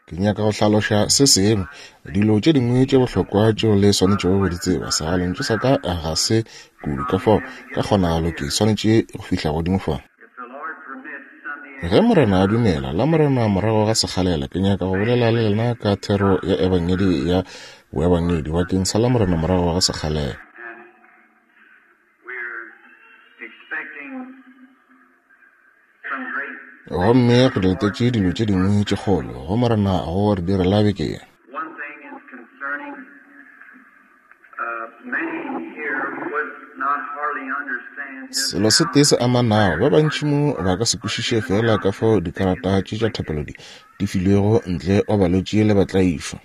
Ke nyaka go hlaloša se sengwe, dilo tše dingwe tše bohlokwa tšeo le swanetšego go di tseba. Segalontšu sa ka ga se kudu, ka fao ka kgonagalo ke swanetše go fihla godimo fa. Ge Morena a dumela, Lamorena morago ga sekgalela, ke nyaka go bolela le lena ka thero ya Ebangedi ya boebangedi bakeng sa Lamorena morago ga sekgalela. Gomme re letetše dilo tše dingwe tše kgolo go Morena go re direla beke ye. Selo se tee se amanago, ba bantši mo ba ka se kwešiše feela ka fao dikarata tše tša thapelo di filwego ntle wa balwetši le batlaišwa.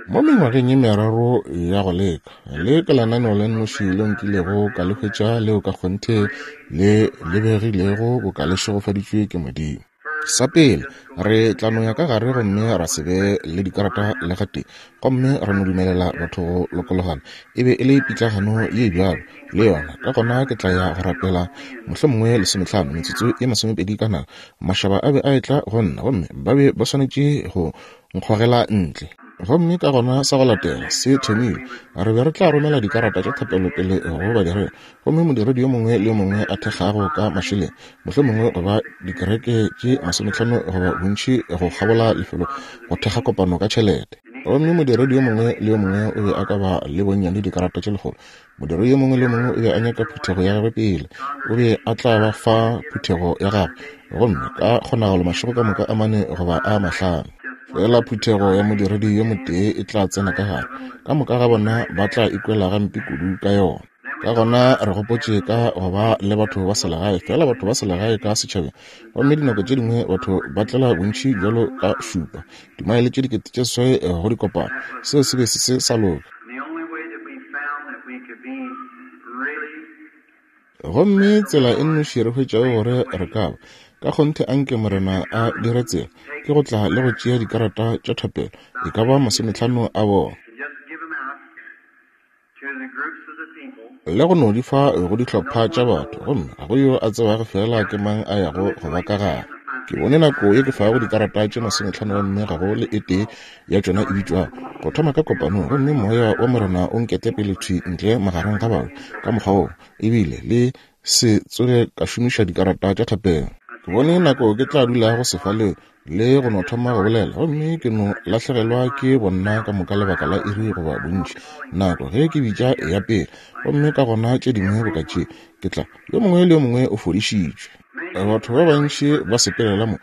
Mo mengwageng ye meraro ya go leka, le ke lenaneo le nnoši leo nkilego ka le hwetša leo ka kgonthe le lebegilego boka le šegofaditšwe ke Modimo. Sa pele, re tla no ya ka gare gomme ra se be le dikarata le gatee, gomme ra no dumelela batho go lokologana. E be e le pitlagano ye bjalo, le yona. Ka gona ke tla ya go rapela, mohlomongwe lesomehlano, metsotso ye masomepedi ka nako. Mašaba a be a etla go nna, gomme ba be ba swanetše go nkgogela ntle. Gomme ka gona sa go latela se thomile, re be re tla romela dikarata tša thapelo pele go badiredi, gomme modiredi yo mongwe le yo mongwe a thekgago ka mašeleng, mohlomongwe go ba dikereke tše masomehlano goba bontši go kgabola lefelo go thekga kopano ka tšhelete. Gomme modiredi yo mongwe le yo mongwe o be a ka ba le bonnyane dikarata tše lekgolo. Modiredi yo mongwe le yo mongwe o be a nyaka phuthego ya gagwe pele. O be a tla ba fa phuthego ya gagwe, gomme ka kgonagalo mašego ka moka a mane goba a mahlano. Fela phuthego ya modiredi yo motee e tla tsena ka gare, ka moka ga bona ba tla ikwela gampe kudu ka yona. Ka gona re gopotše ka go ba le batho ba selegae, fela batho ba selegae ka setšhabeng. Gomme dinako tše dingwe batho ba tlela bontši bjalo ka šupa, dimaele tše 8000 go dikopano. Seo se be se se sa loka. Gomme tsela e nnoši re hwetšago gore re ka ba, ka kgonthe anke Morena a dire tsela, ke go tla le go tšea dikarata tša thapelo, e ka ba masomehlano a bona, le go no di fa go dihlopha tša batho, gomme ga go yo a tsebago feela ke mang a yago go ba ka gare. Ke bone nako ye ke fago dikarata tše masomehlano gomme ga go le e tee ya tšona e bitšwago go thoma ka kopanong, gomme Moya wa Morena o nkete pele thwi ntle magareng ga batho ka mokgwa woo, ebile le se tsoge ka šomiša dikarata tša thapelo. Ke bone nako ke tla dulago sefaleng le go no thoma go bolela, gomme ke no lahlegelwa ke bonna ka moka lebaka la iri goba bontši, nako ge ke bitša ya pele, gomme ka gona tše dingwe boka tše, ke tla, yo mongwe le yo mongwe o fodišitšwe. Batho ba bantši ba sepelela mo,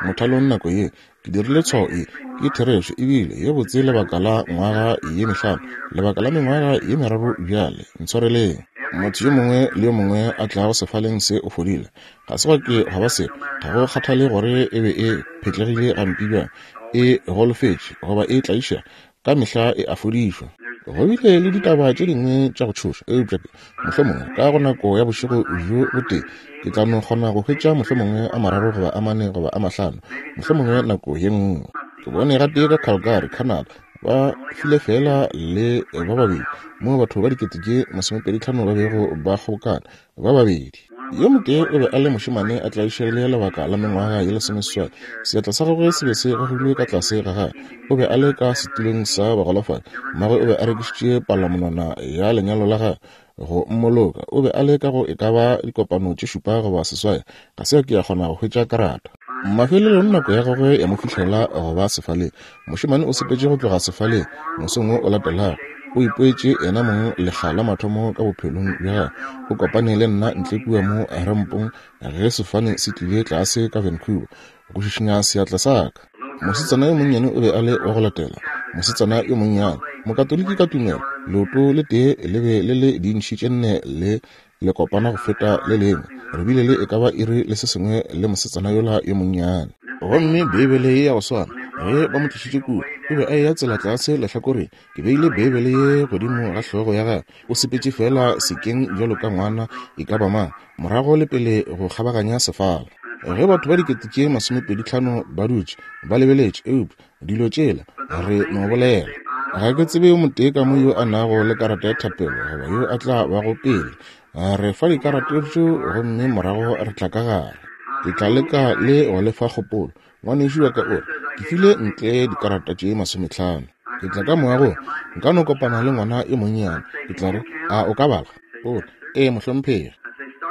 mothalong nako ye. Ke dirile tshwao ye, ke therešo, ebile ye botse lebaka la ngwaga ye mehlano, lebaka la mengwaga ye meraro bjale. Ntshwareleng. Motho yo mongwe le yo mongwe a tlago sefaleng se o fodile. Ga se gwa ke gwa ba selo, ga go kgathale gore e be e phetlegile gampe bjang, e golofetše, goba e tlaišega, ka mehla e a fodišwa. Go bile le ditaba tše dingwe tša go tšhoša, eupša ke, mohlomongwe, ka go nako ya bošego bjo botee, ke tla no kgona go hwetša mohlomongwe a mararo goba a mane goba a mahlano, mohlomongwe nako ye nngwe. Ke bone gatee ka Calgary, Canada, ba file feela le ba babedi, moo batho ba dikete tše masomepedihlano ba bego ba kgobokana, ba babedi. Yo motee o be a le mošemane a tlaišegile lebaka la mengwaga ye lesomeseswai. Seatla sa gagwe se be se gogilwe ka tlase ga gagwe. O be a le ka setulong sa bagolofadi. Mmagwe o be a rekišitše palamonwana ya lenyalo la gagwe go mmoloka. O be a le ka go e ka ba dikopano tše šupa goba seswai. Ga se a ke a kgona go hwetša karata. Mafelelong nako ya gagwe ya mo fihlela go ba sefaleng. Mošemane o sepetše go tloga sefaleng mosong wo o latelago. O ipoetše yena mong lekga la mathomo ka bophelong bja gagwe. O kopane le nna ntle kua mo rampong ge sefofane se tlile tlase ka Vancouver, go šišinya seatla sa ka. Mosetsana yo monnyane o be a le wa go latela. Mosetsana yo monnyane, Mokatoliki ka tumelo, leoto le tee le be le le diintšhi tše nne le lekopana go feta le lengwe. Re bile le e ka ba iri le se sengwe le mosetsana yola yo monnyane. Gomme Beibele ye ya go swana, ge ba mo tlišitše kua, o be a eya tsela tlase lehlakoreng. Ke beile Beibele ye godimo ga hlogo ya gagwe. O sepetše feela sekeng bjalo ka ngwana e ka ba mang, morago le pele go kgabaganya sefala. Ge batho ba dikete tše masomepeditlhano ba dutše, ba lebeletše, eupša dilo tšela re no bolela. Ga ke tsebe yo motee ka mo yo a nago le karata ya thapelo goba yo a tla bago pele. Re fa dikarata tšeo gomme morago re tla ka gare. Ke tla leka le go le fa kgopolo. Ngwanešu wa ka o re, Ke file ntle dikarata tše 50. Ke tla ka moagong, nka no kopana le ngwana yo monnyane. Ke tla re, A o ka bala? O re, Ee, mohlomphegi.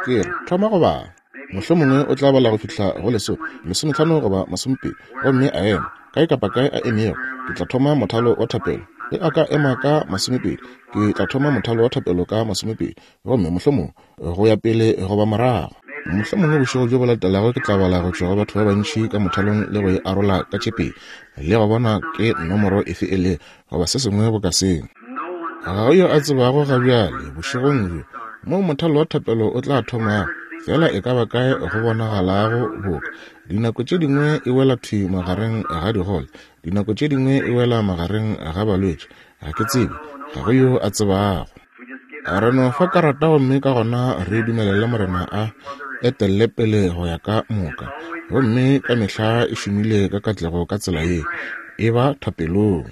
Ke re, Thoma go bala. Mohlomongwe o tla bala go fihla go lesome, 15 goba 20, gomme a ema. Kae kapa kae a emego, ke tla thoma mothalo wa thapelo. Ge a ka ema ka 20, ke tla thoma mothalo wa thapelo ka 20, gomme mohlomongwe go ya pele goba morago. Mohlomongwe bošego bjo bo latelago ke tla bala go tšwa go batho ba bantši ka mothalong le go e arola ka tše pedi, le go bona ke nomoro efe e le, goba se sengwe boka seo. Ga go yo a tsebago ga bjale, bošegong bjo, moo mothalo wa thapelo o tla thomago, feela e ka ba kae go bonagalago boka. Dinako tše dingwe e wela thwi magareng ga digole, dinako tše dingwe e wela magareng ga balwetši. Ga ke tsebe, ga go yo a tsebago. Re no fa karata gomme ka gona re dumelele Morena a etelle pele go ya ka moka. Gomme ka mehla e šomile ka katlego ka tsela ye. E ba thapelong.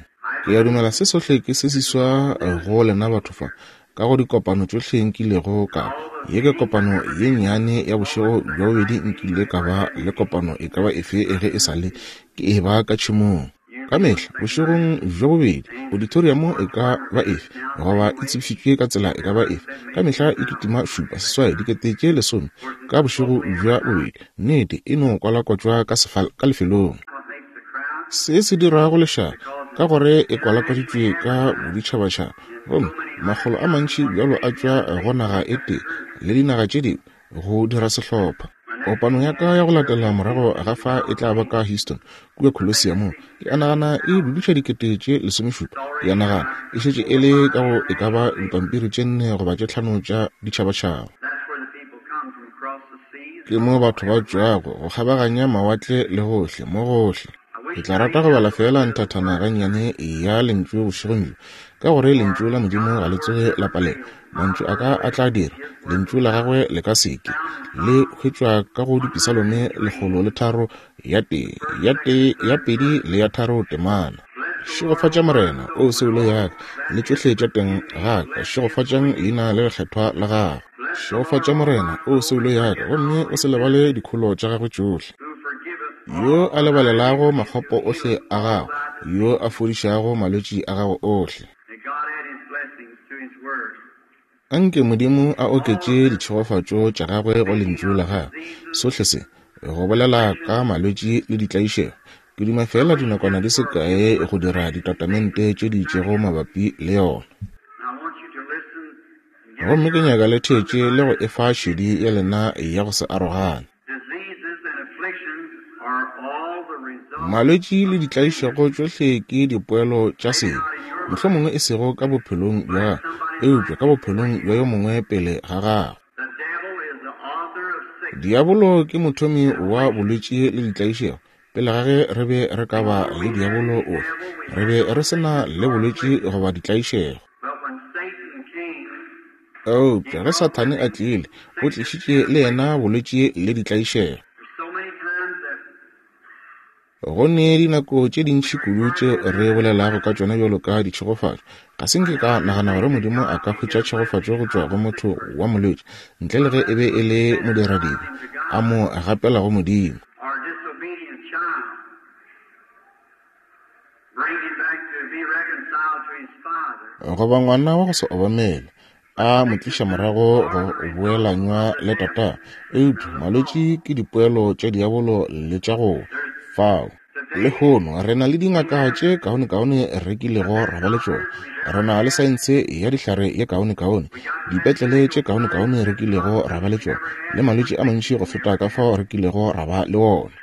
Ke a dumela se sohle ke se seswa go lena batho fa, ka go dikopano tšohle nkilego ka ba. Ye ke kopano ye nnyane ya bošego bja bobedi nkile ka ba le kopano e ka ba efe ge e sa le ke e ba ka tšhemong. Ka mehla bošegong bja bobedi, auditoriamo e ka ba efe goba e tsebišitšwe ka tsela e ka ba efe, ka mehla e kitima šupa seswai dikete tše lesome ka bošego bja bobedi. Nnete, e no kwalakwatšwa ka, ka lefelong. Se se dirago lešata, ka gore e kwalakwaditšwe ka boditšhabatšhaba, gomme makgolo a mantši bjalo a tšwa go naga e tee le dinaga tše dingwe go dira sehlopha. Kopano ya ka ya go latela morago ga fa e tla ba ka Houston, kua Coliseum. Ke a nagana e dudiša dikete tše 17. Ke a nagana e šetše e le ka go e ka ba dipampiri tše nne goba tše tlhano tša ditšhabatšhaba. Ke mo batho ba tšwago go kgabaganya mawatle le gohle, mo gohle. Ke tla rata go bala feela nthathana gannyane ya Lentšu bošegong bjo, ka gore Lentšu la Modimo ga le tsoge la palelwa. Mantšu a ka a tla dira, Lentšu la Gagwe le ka se ke. Le hwetšwa ka go Dipisalome 103, ya tee, ya tee, ya pedi le ya tharo temana. Šegofatša Morena, O soulo ya ka, le tšohle tša teng ga ka, šegofatšang leina le lekgethwa la gagwe. Šegofatša Morena, O soulo ya ka, gomme o se lebale dikholo tša gagwe tšohle. Yo a lebalelago makgopo ohle a gago, yo a fodišago malwetši a gago ohle. Anke Modimo a oketše ditšhegofatšo tša gagwe go Lentšu la gagwe. Sohle se, go bolela ka malwetši le ditlaišego, ke duma feela dinakwana di se kae go dira ditatamente tše di itšego mabapi le yona. Gomme ke nyaka le theetše le go efa šedi ya lena ya go se arogane. Malwetši le ditlaišego tšohle ke dipoelo tša sebe, mohlomongwe e sego ka bophelong bja gago, eupša ka bophelong bja yo mongwe pele ga gago. Diabolo ke mothomi wa bolwetši le ditlaišego. Pele ga ge re be re ka ba le diabolo ofe, re be re se na le bolwetši goba ditlaišego. Eupša ge Sathane a tlile, o tlišitše le yena bolwetši le ditlaišego. Go ne dinako tše dintši kudu tše re bolelago ka tšona bjalo ka ditšhegofatšo. Ga se nke ka nagana gore Modimo a ka hwetša tšhegofatšo go tšwa go motho wa molwetši, ntle le ge e be e le modiradibe, a mo gapela go Modimo. Goba ngwana wa go se obamele, a mo tliša morago go boelanywa le tatagwe. Eupša malwetši ke dipoelo tša diabolo le tša go fao. Lehono re na le dingaka tše kaonekaone re kilego ra ba le tšona. Re na le saense ya dihlare ye kaonekaone, dipetlele tše kaonekaone re kilego ra ba le tšona, le malwetši a mantši go feta ka fao re kilego ra ba le ona.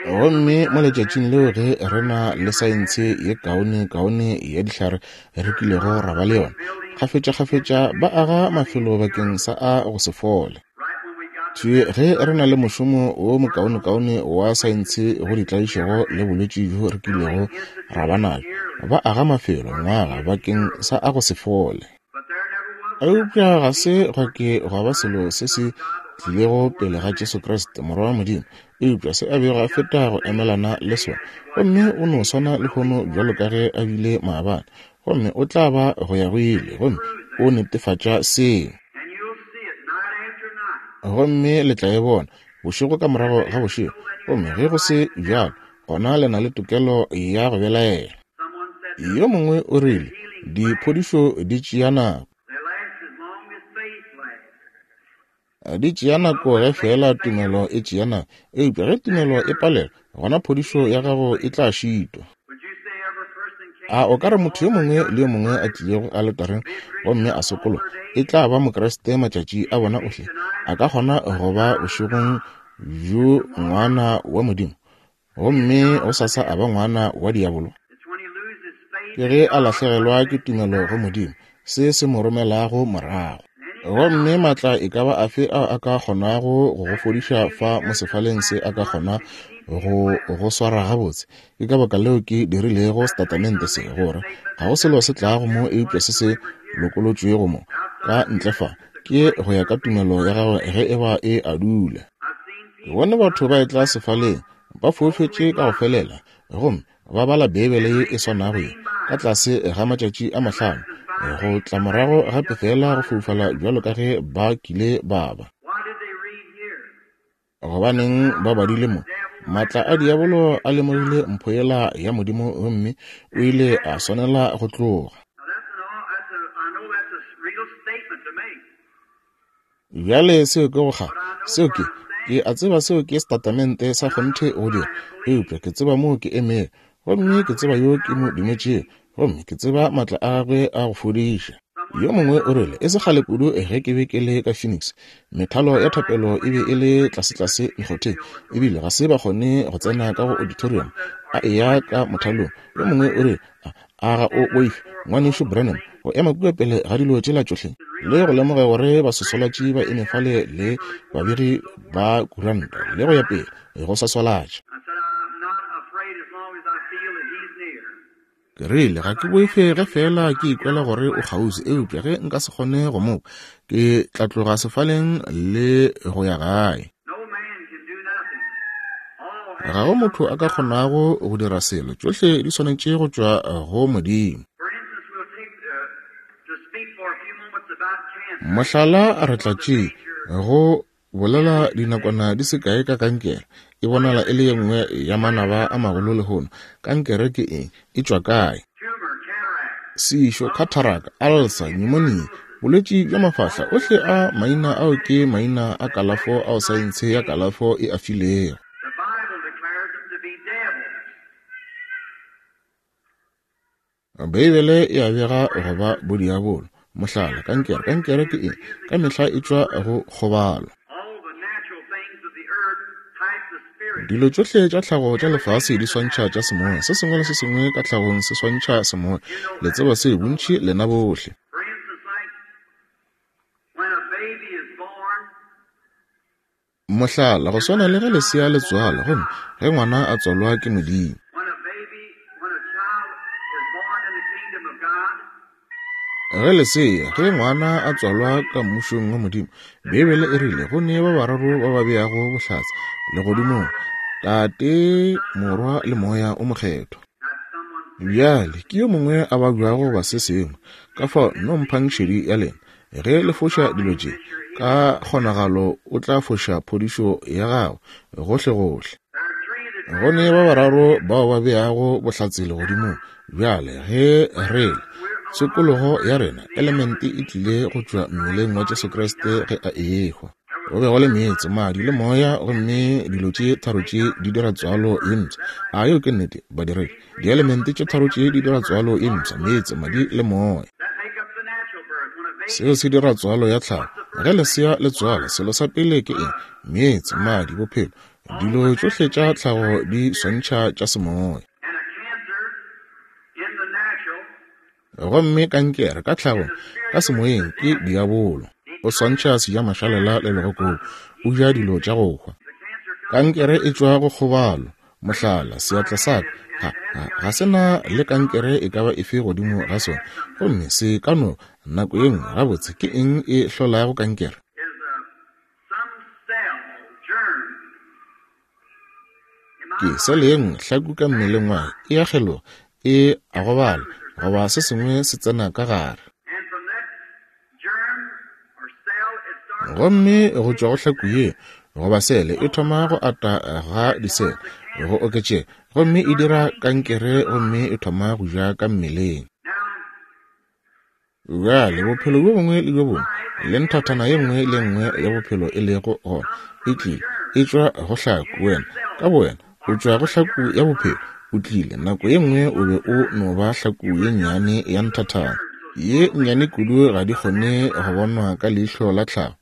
Gomme mo letšatšing leo ge re na le saense ye kaonekaone ya dihlare re kilego ra ba le yona, kgafetšakgafetša ba aga mafelo bakeng sa a go se fole. Thwi ge re na le mošomo wo mokaonekaone wa saense go ditlaišego le bolwetši bjo re kilego ra ba nabjo, ba aga mafelo ngwaga bakeng sa a go se fole. Eupša ga se gwa ke gwa ba selo se se tlilego pele ga Jesu Kriste, Morwa wa Modimo, eupša se a bego a feta go emelana le sona. Gomme o no swana lehono bjalo ka ge a bile maabane, gomme o tla ba go ya go ile, gomme o netefatša seo. Gomme le tla e bona. bošego ka morago ga bošego. Gomme ge go se bjalo, gona le na le tokelo ya go belaela. Yo mongwe o rile, Diphodišo di tšea nako. Di tšea nako ge feela tumelo e tšea nako. Eupša ge tumelo e palelwa, gona phodišo ya gago e tla šitwa. A o ka re motho yo mongwe le yo mongwe a tlilego aletareng gomme a sokologa e tla ba Mokriste matšatši a bona ohle? A ka kgona go ba bošegong bjo ngwana wa Modimo gomme gosasa a ba ngwana wa diabolo? Ke ge a lahlegelwa ke tumelo go Modimo, se se mo romelago morago. Gomme maatla e ka ba afe ao a ka kgonago go go fodiša fa mo sefaleng se a ka kgona go go swara gabotse. Ke ka baka leo ke dirilego setatamente se, gore ga go selo se tlago mo eupša se se lokolotšwego mo, ka ntle fa, ke go ya ka tumelo ya gago ge e ba e a dula. Ke bone batho ba etla sefaleng, ba foufetše ka go felela, gomme ba bala Beibele ye e swanago ye ka tlase ga matšatši a mahlano, go tla morago gape feela go foufala bjalo ka ge ba kile ba ba. Gobaneng ba badile mo? Maatla a diabolo a lemogile mpho yela ya Modimo gomme o ile a swanela go tloga. Bjale seo ke go kga. Seo ke, ke a tseba seo ke setatamente sa kgonthe go dira, eupša ke tseba moo ke emego, gomme ke tseba yo ke mo dumetšego, gomme ke tseba maatla a gagwe a go fodiša. Yo mongwe o rile, e se kgale kudu ge ke be ke le ka Phoenix, methalo ya thapelo e be e le tlasetlase mekgotheng, ebile ga se ba kgone go tsena ka go auditorium, a eya ka mothalong. Yo mongwe o rile, A ga o boife, Ngwanešu Branham, go ema kua pele ga dilo tšela tšohle, le go lemoga gore baswaswalatši ba eme fale le babegi ba kuranta, le go ya pele, go swaswalatša? Ke rile, Ga ke boife ge feela ke ikwela gore o kgauswi, eupša ge nka se kgone go mo kwa, ke tla tloga sefaleng le go ya gae. Ga go motho a ka kgonago go dira selo, tšohle di swanetše go tšwa go Modimo. Mohlala, re tla tše go bolela dinakwana di se kae ka kankere. E bonala e le ye nngwe ya manaba a magolo lehono. Kankere ke eng? E tšwa kae? Sešo, cataract, ulcer, pneumonia, bolwetši bja mafahla, ohle a maina ao ke maina a kalafo ao saense ya kalafo e a filego. Beibele e a bega go ba bodiabolo. Mohlala, kankere. Kankere ke eng? Ka mehla e tšwa go kgobalo. Dilo tšohle tša tlhago tša lefase di swantšha tša semoya. Se sengwe le se sengwe ka tlhagong se swantšha semoya. Le tseba seo, bontši lena bohle. Mohlala, go swana le ge lesea le tswalwa, gomme ge ngwana a tswalwa ke Modimo. Ge lesea, ge ngwana a tswalwa ka Mmušong wa Modimo, Beibele e rile go ne ba bararo ba ba beago bohlatse legodimong, Tate, Morwa le Moya o Mokgethwa. Bjale, ke yo mongwe a babjago goba se sengwe, ka fao nno mphang šedi ya lena. Ge le foša dilo tše, ka kgonagalo o tla foša phodišo ya gago gohlegohle. Go ne ba bararo bao ba beago bohlatse legodimong. Bjale, ge re le, tshokologo ya rena, elemente e tlile go tšwa mmeleng wa Jesu Kriste ge a ehwa. Go be go le meetse, madi, le moya, gomme dilo tše tharo tše di dira tswalo ye mpsha. A yeo ke nnete, badiredi? Dielemente tše tharo tše di dira tswalo ye mpsha, meetse, madi, le moya. Seo se dira tswalo ya tlhago. Ge lesea le tswalwa, selo sa pele ke eng? Meetse, madi, bophelo. Dilo tšohle tša tlhago di swantšha tša semoya. Gomme kankere ka tlhagong, ka semoyeng, ke diabolo. O swantšha sejamašalela le legokobu. O ja dilo tša go hwa. Kankere e tšwa go kgobalo. Mohlala, seatla sa ka ga, ga, ga se na le kankere e ka ba efe godimo ga sona. Gomme se ka no, nako ye nngwe, gabotse, ke eng e hlolago kankere? Ke sele ye nngwe hlaku ka mmeleng wa e a kgeloga, e a gobala, goba se sengwe se tsena ka gare. Gomme go tšwa go hlaku ye, goba sele e thoma go ata ga disele go oketšega, gomme e dira kankere gomme e thoma go ja ka mmeleng. Bjale, bophelo bjo bongwe le bjo bongwe le nthathana ye nngwe le nngwe ya bophelo e lego gona e tlile e tšwa go hlaku. Wena ka bowena o tšwa go hlaku ya bophelo. O tlile nako ye nngwe o be o no ba hlaku ye nnyane ya nthathana, ye nnyane kudu ga di kgone go bonwa ka leihlo la tlhago.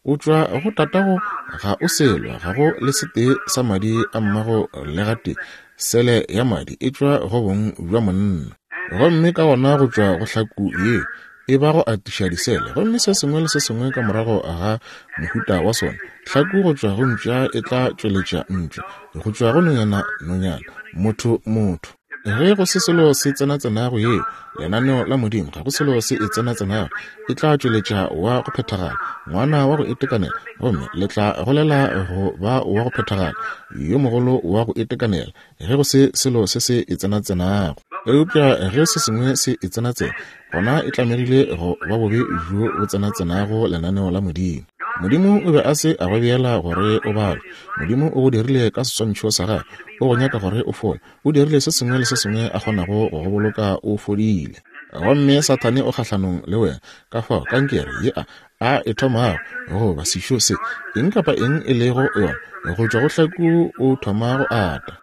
O tšwa go tatago, ga o selo, ga go le setee sa madi a mmago le gatee. Sele ya madi e tšwa go bong bja monna. Gomme ka gona go tšwa go hlaku ye e ba go atiša disele, gomme se sengwe le se sengwe ka morago ga mohuta wa sona. Hlaku go tšwa go mpša e tla tšweletša mpša, go tšwa go nonyana nonyana, motho motho. Ge go se selo se tsenatsenago yeo, lenaneo la Modimo, ga go selo se e tsenatsenago, e tla tšweletša wa go phethagala, ngwana wa go itekanela, gomme le tla golela go ba wa go phethagala, yo mogolo wa go itekanela, ge go se selo se se e tsenatsenago. Eupša ge se sengwe se e tsenatsena, gona e tlamegile go ba bobe bjo bo tsenatsenago lenaneo la Modimo. Modimo o be a se a go beela gore o babje. Modimo o go dirile ka seswantšho sa Gagwe. O go nyaka gore o fole. O dirile se sengwe le se sengwe a kgonago go go boloka o fodile. Gomme Sathane o kgahlanong le wena. Ka fao kankere ye a, a e thomago, goba sešo se, eng kapa eng e lego yona, go tšwa go hlaku o thoma go ata.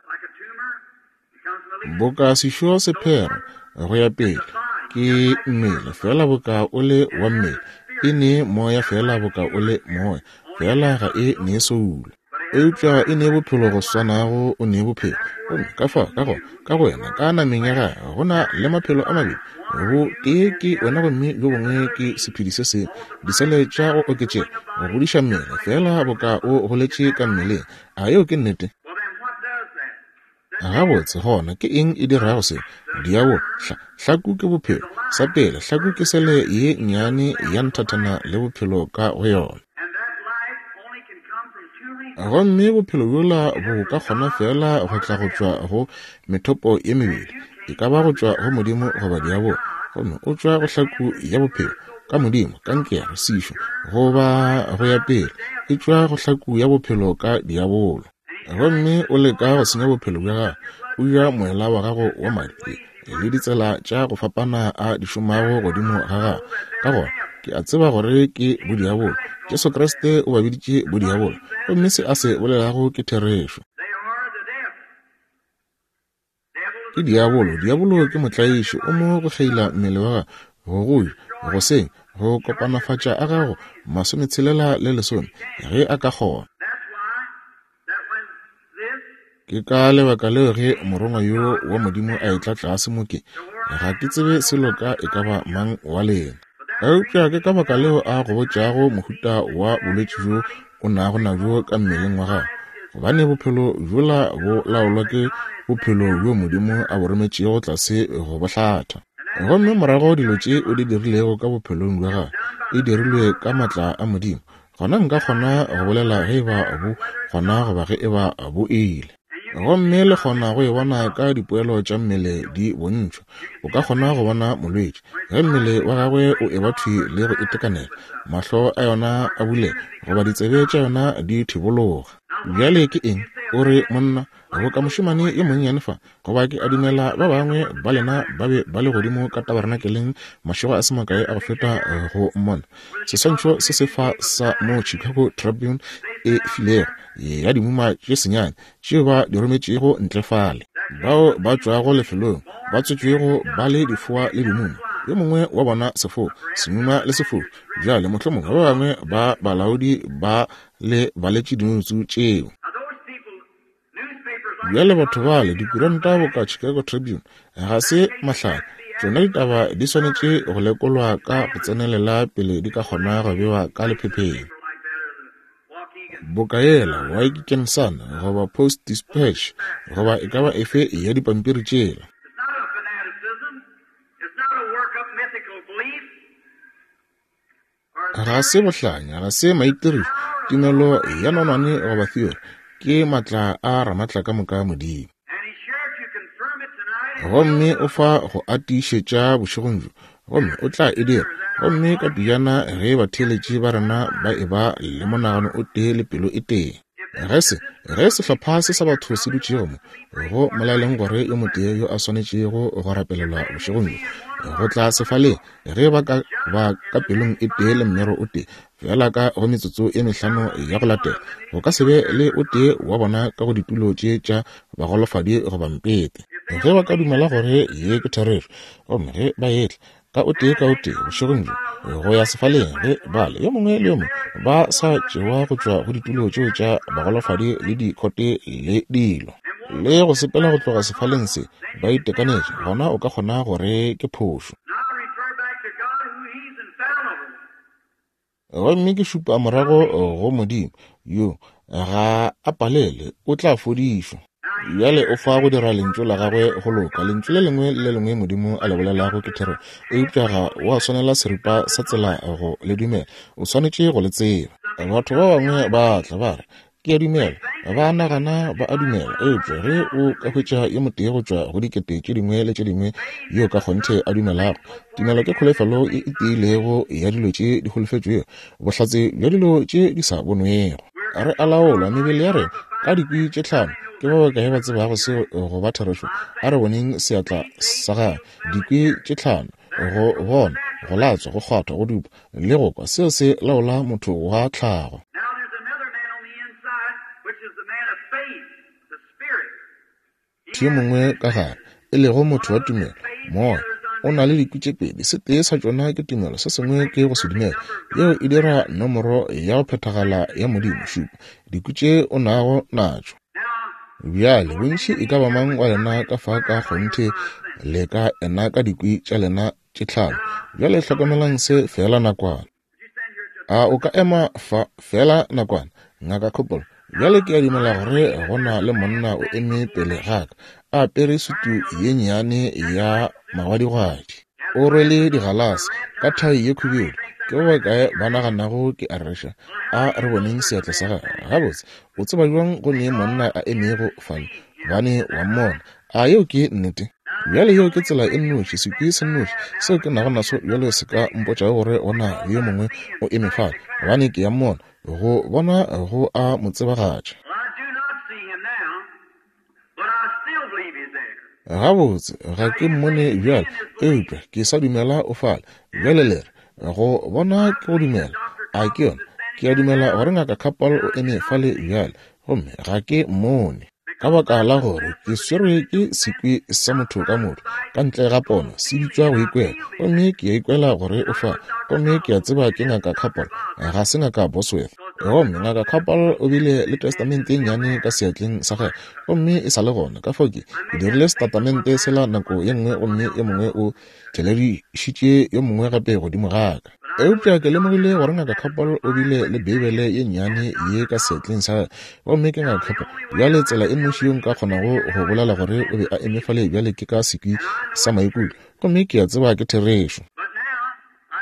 Boka sešo se phera go ya pele, ke mmele, feela boka o le wa mmele. E ne moya feela boka o le moya, feela ga e ne soulo. Eupša e ne bophelo go swanago o ne bophelo. Gomme ka fao, ka gona, ka go wena, ka nameng ya gagwe, go na le maphelo a mabedi. Bo tee ke wena gomme bjo bongwe ke sephedi se sengwe. Disele tša go oketšega, go godiša mmele, feela boka o goletše ka mmeleng. A yeo ke nnete? Gabotse, gona, ke eng e dirago se? Diabolo. Hla, hlaku ke bophelo. Sa pele, hlaku ke sele ye nnyane ya nthathana le bophelo ka go yona. Gomme bophelo bjola bo ka kgona feela go tla go tšwa go methopo ye mebedi, e ka ba go tšwa go Modimo goba diabolo. Gomme o tšwa go hlaku ya bophelo, ka Modimo, kankere, sešo, goba go ya pele, e tšwa go hlaku ya bophelo ka diabolo. Gomme o leka go senya bophelo bja gago, o ja moela wa gago wa madi le ditsela tša go fapana a di šomago godimo ga gago. Ka gona ke a tseba gore ke bodiabolo. Jesu Kriste o ba biditše bodiabolo, gomme se a se bolelago ke therešo. Ke diabolo. Diabolo ke motlaiši. O mo go kgeila mmele wa gago, go go ja, go senya, go kopanafatša a gago masometshela le lesome, ge a ka kgona. Ke ka lebaka leo ge morongwa yo wa Modimo a etla tlase mo ke, ga ke tsebe selo ka e ka ba mang wa lena. Eupša ke ka baka leo a go botšago mohuta wa bolwetši bjo o nago nabjo ka mmeleng wa gago, gobane bophelo bjola bo laolwa ke bophelo bjo Modimo a bo rometšego tlase go bo hlatha. Gomme morago dilo tše o di dirilego ka bophelong bja gago e dirilwe ka matla a Modimo, gona nka kgona go bolela ge e ba bo gona goba ge e ba bo ile. Gomme le kgona go e bona ka dipoelo tša mmele di bontšhwa. O ka kgona go bona molwetši ge mmele wa gagwe o eba thwi le go itekanela, mahlo a yona a bulega goba ditsebe tša yona di thibologa. Bjale ke eng? O re, Monna, boka mošemane yo monnyane fa, goba ke a dumela ba bangwe ba lena ba be ba le godimo ka tabarenakeleng mašego a se makae a go feta go mmona. Seswantšho se se fa sa mo Chicago Tribune e filego ya dimuma tše senyane tšeo ba di rometšego ntle fale, bao ba tšwago lefelong ba tswetšwego ba le difoa le dimuma, yo mongwe wa bona sefoa, semuma le sefoa. Bjale mohlomongwe ba bangwe ba balaodi ba le baletše dinotsu tšeo. Bjale batho bale, dikuranta boka Chicago Tribune, ga se mahlale. Tšona ditaba di swanetše go lekolwa ka go tsenelela pele di ka kgona go bewa ka lephepheng. Boka yela Waikikian Sun goba Post Dispatch goba e ka ba efe ya dipampiri tšela. Ga se bohlanya, ga se maitirišo, tumelo ya nonwane goba theory, ke matla a Ramatlakamoka Modimo. Gomme o fa go a tiišetša bošegong bjo, Gomme O tla e dira. Gomme ka pejana ge batheeletši ba rena ba eba le monagano o tee le pelo e tee. Ge se, ge sehlopha se sa batho se dutšego mo, go molaleng gore yo motee yo a swanetšego go rapelelwa bošegong bjo, go tla sefaleng, ge ba ka ba ka pelong e tee le mmero o tee, feela ka go metsotso e mehlano ya go latela, go ka se be le o tee wa bona ka go ditulo tše tša bagolofadi goba mpete. Ge ba ka dumela gore ye ke therešo, gomme ge ba etla, ka o tee ka o tee bošegong bjo go ya sefaleng ge bale yo mongwe le yo mongwe ba sa tšewa go tšwa go ditulo tšeo tša bagolofadi le dikhote le dilo le go sepela go tloga sefaleng se ba itekanetše, gona o ka kgona gore ke phošo. Gomme ke šupa morago go Modimo, yo ga a palele, o tla fodišwa. Bjale o fa go dira Lentšu la Gagwe go loka. Lentšu le lengwe le le lengwe Modimo a le bolelago ke therešo, eupša ga wa swanela seripa sa tsela go le dumela. O swanetše go le tseba. Batho ba bangwe ba tla ba re, Ke a dumela. Ba nagana ba a dumela. Eupša ge o ka hwetša yo motee go tšwa go dikete tše dingwe le tše dingwe yo ka kgonthe a dumelago, tumelo ke kholofelo e e tiilego ya dilo tše di holofetšwego, bohlatse bja dilo tše di sa bonwego. Re a laolwa, mebele ya rena, ka dikwi tše tlhano. Ke ba bakae ba tsebago seo go ba therešo? A re boneng seatla sa gagwe. Dikwi tše tlhano, go bona, go latswa, go kgwatha, go dupa, le go kwa, seo se laola motho wa tlhago. Yo mongwe ka gare, e lego motho wa tumelo, moya, o na le dikwi tše pedi, se tee sa tšona ke tumelo, se sengwe ke go se dumela. Yeo e dira nomoro ya go phethagala ya Modimo, šupa, dikwi tše o nago natšo. Bjale, bontši e ka ba mang wa lena ka fa ka kgonthe le ka ena ka dikwi tša lena tše tlhano. Bjale hlokomelang se feela nakwana. A o ka ema fa feela nakwana, Ngaka Coppola? Bjale ke a dumela gore go na le monna o eme pele ga ka, a apere sutu ye nnyane ya magwadigwadi. O rwele digalase, ka thai ye khubedu. Ke ba bakae ba naganago ke a rereša? A re boneng seatla sa gagwe. Gabotse, o tseba bjang go ne monna a emego fale? Gobane wa mmona. A yeo ke nnete? Bjale yeo ke tsela e nnoši, sekwi se nnoši seo ke nago naso bjale se ka mpotšago gore go na le yo mongwe o eme fale, gobane ke ya mmona, go bona go a mo tsebagatša. Gabotse, ga ke mmone bjale, eupša ke sa dumela o fale. Bjale le re, Go bona ke go dumela. A ke yona? Ke a dumela gore Ngaka Capel o eme fale bjale, gomme ga ke mmone. Ka baka la gore ke swerwe ke sekwi sa motho ka motho, ka ntle ga pono, se bitšwa go ikwela. Gomme ke a ikwela gore o fa. Gomme ke a tseba ke Ngaka Capel, ga se Ngaka Bosworth. Gomme Ngaka Capel o bile le testamente e nnyane ka seatleng sa gagwe, gomme e sa le gona. Ka fao ke, ke dirile setatamente sela nako ye nngwe, gomme yo mongwe o tšheledišitše yo mongwe gape godimo ga ka. Eupša ke lemogile gore Ngaka Capel o bile le Beibele ye nnyane ye ka seatleng sa gagwe, gomme ke Ngaka Capel. Bjale, tsela e nnoši yo nka kgonago go bolela gore o be a eme fale bjale ke ka sekwi sa maikutlo, gomme ke a tseba ke therešo.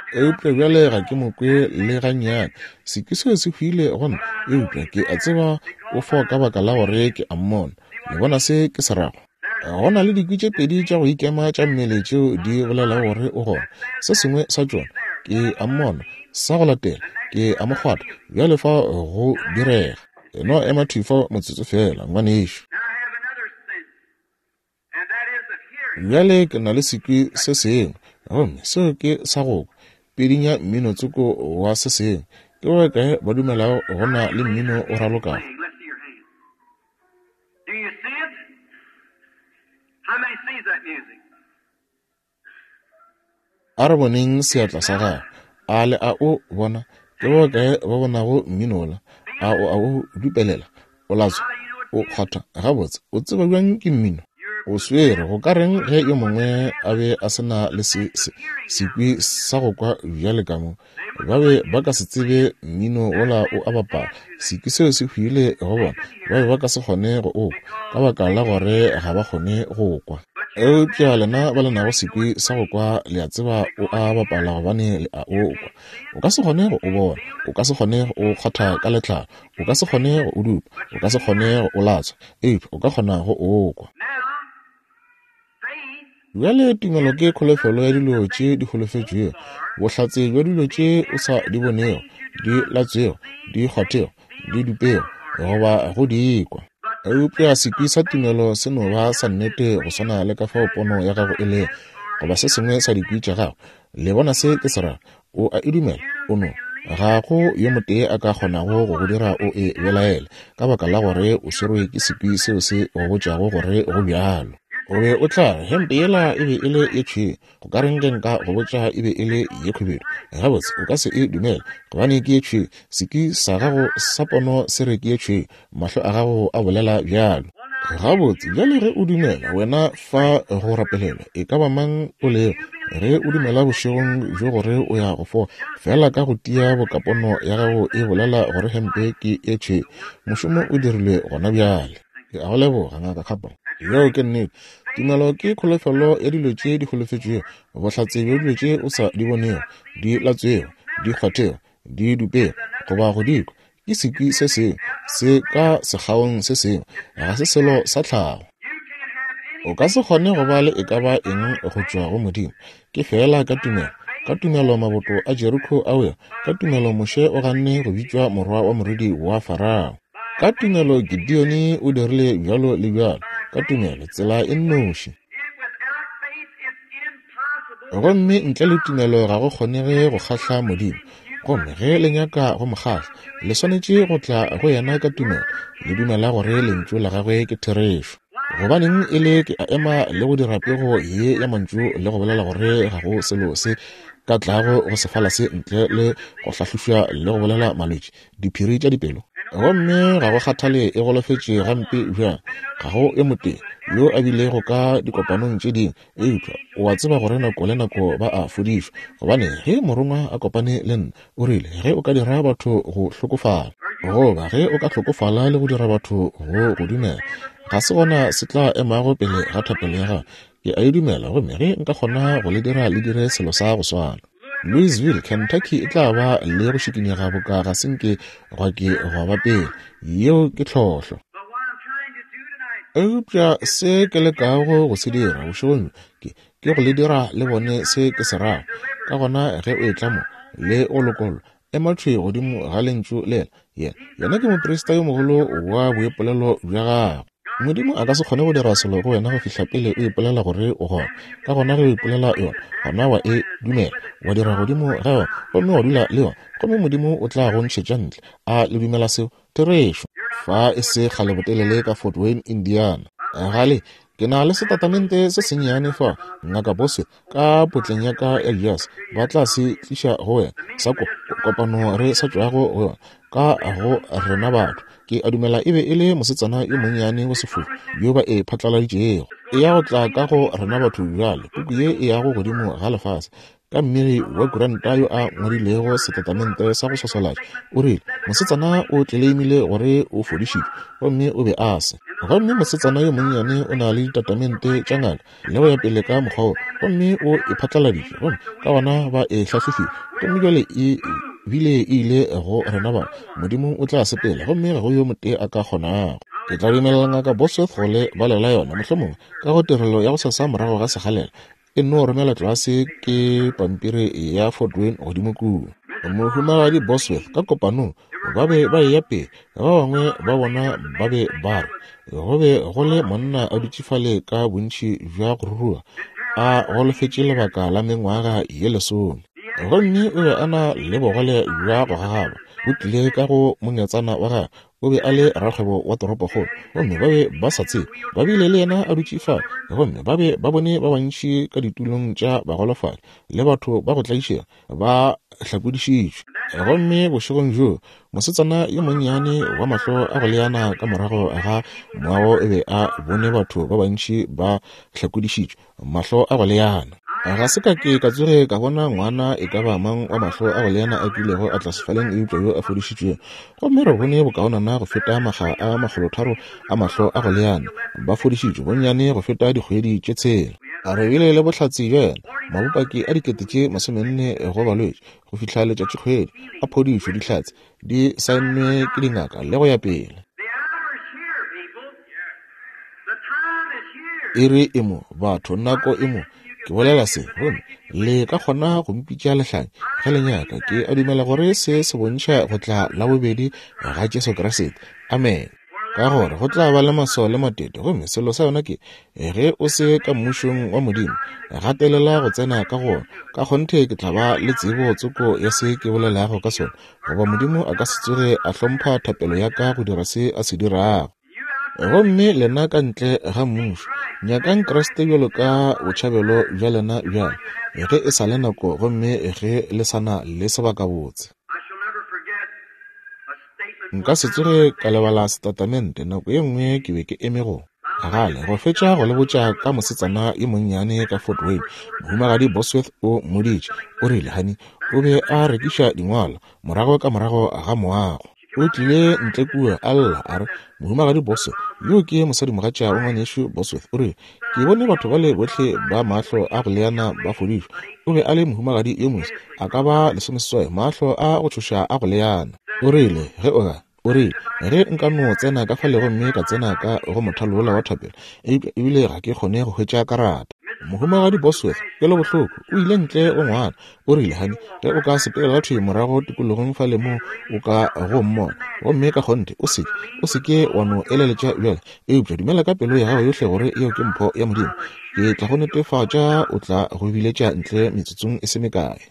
Eupša bjale ga ke mo kwe le gannyane. Sekwi seo se hwile go nna, eupša ke a tseba o fo ka baka la gore ke a mmona. Le bona se ke se rago? Go na le dikwi tše pedi tša go ikema tša mmele tšeo di bolelago gore o gona. Se sengwe sa tšona, ke a mmona, sa go latela, ke a mo kgwatha. Bjale fa go direga. E no ema thwi fa motsotso feela, ngwanešu. Bjale ke na le sekwi se sengwe, gomme seo ke sa go kwa, pidinya mmino tsoko wa se sengwe. Ke ba bakae ba dumelago go na le mmino o ralokago? Do you see it? How many sees that music? A re boneng seatla sa gagwe. A le a o bona? Ke ba bakae ba bonago mmino wola? A o a o dupelela? O latswa? O kgwatha? Gabotse, o tseba bjang ke mmino? O swere. Go ka reng ge yo mongwe a be a se na le se, se, sekwi sa go kwa bjale ka mo? Ba be ba ka se tsebe mmino wola o a bapala. Sekwi seo se hwile go bona. Ba be ba ka se kgone go o kwa, ka baka la gore ga ba kgone go kwa. Eupša lena ba le nago sekwi sa go kwa, le a tseba o a bapala gobane le a o kwa. O ka se kgone go o bona, o ka se kgone go o kgwatha ka letlalo, o ka se kgone go o dupa, o ka se kgone go o latswa, eupša o ka kgona go o kwa. Bjale tumelo ke kholofelo ya dilo tše di holofetšwego, bohlatse bja dilo tše o sa di bonego, di latswego, di kgwathego, di dupego, goba go di kwa. Eupša sekwi sa tumelo se no ba sa nnete go swana le ka fao pono ya gago e lego, goba se sengwe sa dikwi tša gago. Le bona se ke se rago? O a e dumela, o no. Ga go yo motee a ka kgonago go go dira o e belaele, ka baka la gore o swerwe ke sekwi seo se go botšago gore go bjalo. O be o tla re, Hempe yela e be e le ye tšhweu, go ka reng ge nka go botša e be e le ye khubedu? Gabotse, o ka se e dumele, gobane ke ye tšhweu. Sekwi sa gago sa pono se re ke ye tšhweu, mahlo a gago a bolela bjalo. Gabotse, bjale ge o dumela, wena fa go rapelelwa, e ka ba mang o lego, ge o dumela bošegong bjo gore o ya go fola, feela ka go tia boka pono ya gago e bolela gore hempe ke e tšhweu, mošomo o dirilwe gona bjale. Ke a go leboga, Ngaka Capra. Yeo ke nnete. Tumelo ke kholofelo ya dilo tše di holofetšwego, bohlatse bja dilo tše o sa di bonego, di latswego, di kgwathego, di dupego, goba go di kwa. Ke sekwi se sengwe se ka sekgaong se sengwe, ga se selo sa tlhago. O ka se kgone go ba le e ka ba eng go tšwa go Modimo, ke feela ka tumelo. Ka tumelo maboto a Jeriko a wela, ka tumelo Moshe o ganne go bitšwa morwa wa morwedi wa Farao. Ka tumelo Gideoni o dirile bjalo le bjalo, ka tumelo, tsela e nnoši. Gomme ntle le tumelo ga go kgonege go kgahla Modimo. Gomme ge le nyaka go mo kgahla, le swanetše go tla go yena ka tumelo, le dumela gore Lentšu la gagwe ke therešo. Gobaneng e le ke a ema le go dira pego ye ya mantšu le go bolela gore ga go selo se ka tlago go sefala se ntle le go hlahlošwa le go bolela malwetši, diphiri tša dipelo? Gomme ga go kgathale e golofetše gampe bjang, ga go yo motee yo a bilego ka dikopanong tše dingwe, eupša o a tseba gore nako le nako ba a fodišwa. Gobane ge Morongwa a kopane le nna, o rile, Ge o ka dira batho go hlokofala, goba ge o ka hlokofala le go dira batho go go dumela, ga se gona se tla emago pele ga thapelo ya gago. Ke a e dumela, gomme ge nka kgona go le dira le dire selo sa go swana. Louisville, Kentucky e tla ba le go šikinyega boka ga se nke gwa ke gwa ba pele. Yeo ke tlhohlo. Eupša se ke lekago go se dira bošegong bjo ke, ke go le dira le bone se ke se rago. Ka gona ge o etla mo le go lokollwa, ema thwi godimo ga Lentšu lela. Yena, yena ke moprista yo mogolo wa boipolelo bja gago. Modimo a ka se kgone go dira selo go wena go fihla pele o ipolela gore o gona. Ka gona ge o ipolela yona, gona wa e dumela, wa dira godimo ga yona, gomme wa dula le yona, gomme Modimo o tla go ntšhetša ntle. A le dumela seo? Therešo. Fa e se kgale botelele ka Fort Wayne, Indiana. Gale, ke na le setatamente se sennyane fa, Ngaka Bosworth, ka potleng ya ka ya jazz, ba tla se tliša go wena, sa ko, kopano re sa tšwago go yona, ka go rena batho. Ke a dumela e be e le mosetsana yo monnyane wa sefofu yo ba e phatlaladitšego. E ya go tla ka go rena batho bjale, puku ye e yago godimo ga lefase. Ka mmegi wa kuranta yo a ngwadilego setatamente sa go swaswalatša, o rile, Mosetsana o tleleimile gore o fodišitšwe, gomme o be a se. Gomme mosetsana yo monnyane o na le ditatamente tša ngaka le go ya pele ka mokgwa wo, gomme o e phatlaladitše, gomme ka gona ba e hlahlofile, gomme bjale e bile e ile go rena ba. Modimo o tla sepela, gomme ga go yo motee a ka kgonago. Ke tla dumelela Ngaka Bosworth go le balela yona, mohlomongwe, ka go tirelo ya gosasa morago ga sekgalela. E nno romela tlase ke pampiri ya Fort Wayne godimo kua. Mohumagadi Bosworth ka kopanong ba be ba eya pele, ba bangwe ba bona ba be ba re go be go le monna a dutše fale ka bontši bja go ruruga, a golofetše lebaka la mengwaga ye lesome, gomme o be a na le bogole bja go gagaba bo tlile ka go mongetsana wa gagwe. O be a le rakgwebo wa toropokgolo, gomme ba be ba sa tsebe. Ba bile le yena a dutše fale, gomme ba be ba bone ba bantši ka ditulong tša bagolofadi le batho ba go tlaišega ba hlakodišitšwe. Gomme bošegong bjoo, mosetsana yo monnyane wa mahlo a go leana ka morago ga moago o be a bone batho ba bantši ba hlakodišitšwe, mahlo a go leana. Ga se ka ke ka tsoge ka bona ngwana e ka ba mang wa mahlo a go leana a kilego a tla sefaleng eupša yo a fodišitšwego. Gomme re bone bokaonana go feta makga a makgolotharo a mahlo a go leana ba fodišitšwe bonnyane go feta dikgwedi tše tshela. Re bile le bohlatse bja yena, mabopaki a dikete tše masomenne go balwetši go fihla letšatšikgwedi a phodišo, dihlatse di saennwe ke dingaka le go ya pele. Iri e mo, batho, nako e mo. Ke bolela se, gomme le ka kgona go mpitša lehlanya ge le nyaka. Ke a dumela gore se se bontšha go tla la bobedi ga Jesu Kriste. Amen. Ka gore go tla ba le maswao le matete, gomme selo sa yona ke ge o se ka mmušong wa Modimo, gatelela go tsena ka go ona. Ka kgonthe ke tla ba le tsebo tsoko ya se ke bolelago ka sona, goba Modimo a ka se tsoge a hlompha thapelo ya ka go dira se a se dirago. Gomme lena ka ntle ga mmušo, nyakang Kriste bjalo ka botšhabelo bja lena bjale, ge e sa le nako gomme ge le sa na le sebakabotse. Nka se tsoge ka lebala setatamente nako ye nngwe ke be ke eme go gale go fetša go le botša ka mosetsana yo monnyane ka Fort Wayne. Mohumagadi Bosworth o mmoditše, o rile, Honey, o be a rekiša dingwalo morago ka morago ga moago. O tlile ntle kua, a lla, a re, Mohumagadi Bosworth, yo ke mosadimogatša wa Ngwanešu Bosworth, o rile, Ke bone batho bale bohle ba mahlo a go leana ba fodišwa. O be a le mohumagadi yo moswa, a ka ba lesomeseswai, mahlo a go tšhoša a go leana. O rile, Ge o ka, o rile, ge nka no tsena ka fale gomme ka tsena ka go mothalo wola wa thapelo, eupša ebile ga ke kgone go hwetša karata. Mohumagadi Bosworth, kwelobohloko, o ile ntle go ngwana. O rile, Hani, ge o ka sepelela thwi morago tikologong fale moo o ka go mmona, gomme ka kgonthe o se ke, o se ke wa no eleletša bjale, eupša dumela ka pelo ya gago yohle gore yeo ke mpho ya Modimo, ke tla go netefatša o tla go biletša ntle metsotsong e se mekae.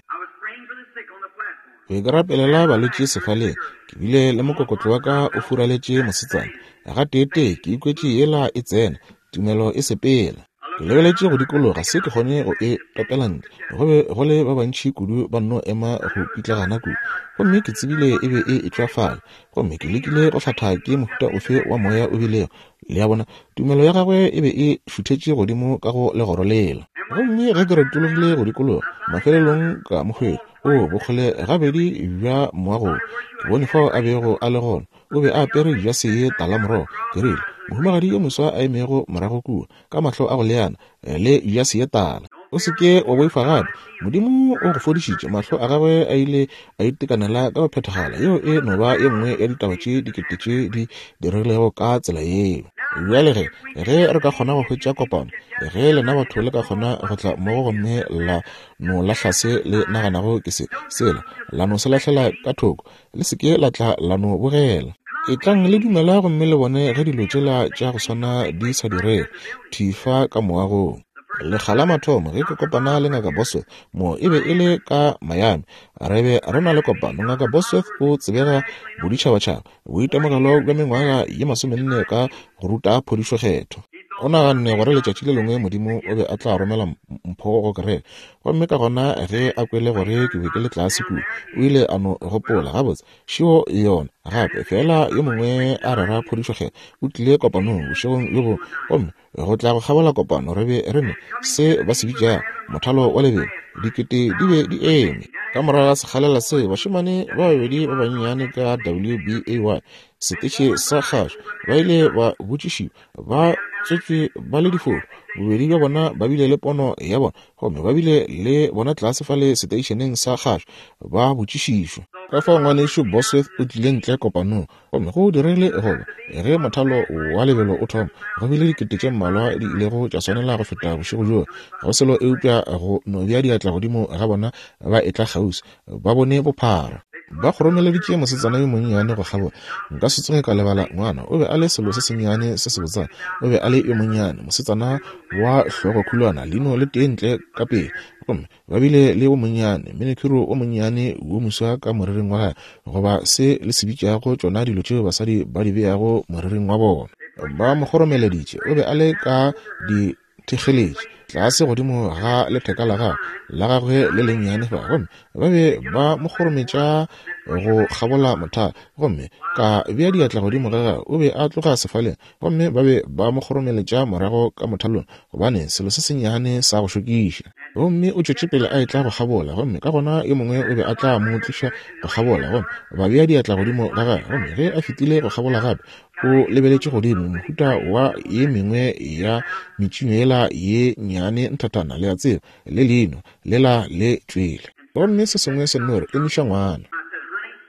Ke be ke rapelela balwetši sefaleng, ke bile le mokokotlo wa ka o furaletše mosetsana. Gateetee ke ikwetše yela e tsena, tumelo e sepela. Ke lebeletše go dikologa, se ke kgone go e topela ntle. Go be go le ba bantši kudu ba nno ema go pitlagana kudu. Gomme ke tsebile e be e etšwa fale. Gomme ke lekile go hlatha ke mohuta ofe wa moya o bilego. Le a bona, tumelo ya gagwe e be e šuthetše godimo ka go legoro lela. Gomme ge ke retologile go dikologa, mafelelong ka mo hwetša, oo, bokgole gabedi bja moago wo. Ke bone fao a bego a le gona. O be a apere jase ye talamorogo. Ke rile, Mohumagadi yo moswa a emego morago kua, ka mahlo a go leana, le jase ye tala. O se ke wa boifa gape. Modimo o go fodišitše. Mahlo a gagwe a ile a itekanela ka go phethagala. Yeo e no ba ye nngwe ya ditaba tše dikete tše di diregilego ka tsela yeo. Bjale ge, ge re ka kgona go hwetša kopano, ge lena batho le ka kgona go tla mmogo gomme la no lahla se le naganago ke se, sela, la no se lahlela ka thoko, Le se ke la tla la no bogela. Etlang le dumela gomme le bone ge dilo tšela tša go swana di sa direge thwi fa ka moagong. Lekga la mathomo ge ke kopana le Ngaka Bosworth mo e be e le ka Miami. Re be re na le kopano. Ngaka Bosworth o tsebega boditšhabatšhaba, boitemogelo bja mengwaga ye masomenne ka go ruta phodišo kgethwa. O naganne gore letšatši le lengwe Modimo o be a tla romela mpho go kereke. Gomme ka gona ge a kwele gore ke be ke le tlase kua, o ile a no gopola, Gabotse, šeo yona gape. Feela yo mongwe a rera phodišo kgethwa o tlile kopanong bošegong bjo bongwe, gomme go tla go kgabola kopano re be re ne se ba se bitšago mothalo wa lebelo, dikete di be di eme. Ka morago ga sekgalela se, bašemane ba babedi ba bannyane ka WBAY, seteše sa kgašo, ba ile ba botšišiwa ba tswetšwe ba le difofu. Bobedi bja bona ba bile le pono ya bona, gomme ba bile le bona tlase fale seteišeneng sa kgašo, ba botšišišwa. Ka fao Ngwanešu Bosworth o tlile ntle kopanong, gomme go diregile goba ge mothalo wa lebelo o thoma, go bile dikete tše mmalwa di ilego tša swanela go feta bošego bjoo. Ga go selo eupša go no bea diatla godimo ga bona ba etla kgauswi, ba bone bophara. Ba kgoromeleditše mosetsana yo monnyane go kgabola. Nka se tsoge ka lebala ngwana. O be a le selo se sennyane se sebotsana. O be a le yo monnyane, mosetsana wa hlogo khulwana, leino le tee ntle ka pele. Gomme ba bile le wo monnyane, menikhuro wo monnyane wo moswa ka moriring wa gagwe, goba se le se bitšago tšona dilo tšeo basadi ba di beago moriring wa bona. Ba mo kgoromeleditše. O be a le ka di thekgeletše tlase godimo ga letheka la gagwe la gagwe le lennyane fa, gomme ba be ba mo kgorometša go kgabola mothalo, gomme ka bea diatla godimo ga gagwe, o be a tloga sefaleng, gomme ba be ba mo kgoromeletša morago ka mothalong, gobane selo se sennyane sa go šokiša. Gomme o tšwetše pele a etla go kgabola, gomme ka gona yo mongwe o be a tla mo tliša go kgabola, gomme ba bea diatla godimo ga gagwe, gomme ge a fetile go kgabola gape, o lebeletše godimo mohuta wa ye mengwe ya metšinyo yela ye nnyane nthathana, le a tseba, le leino lela le tšwele. Gomme se sengwe se nno re, Emiša ngwana.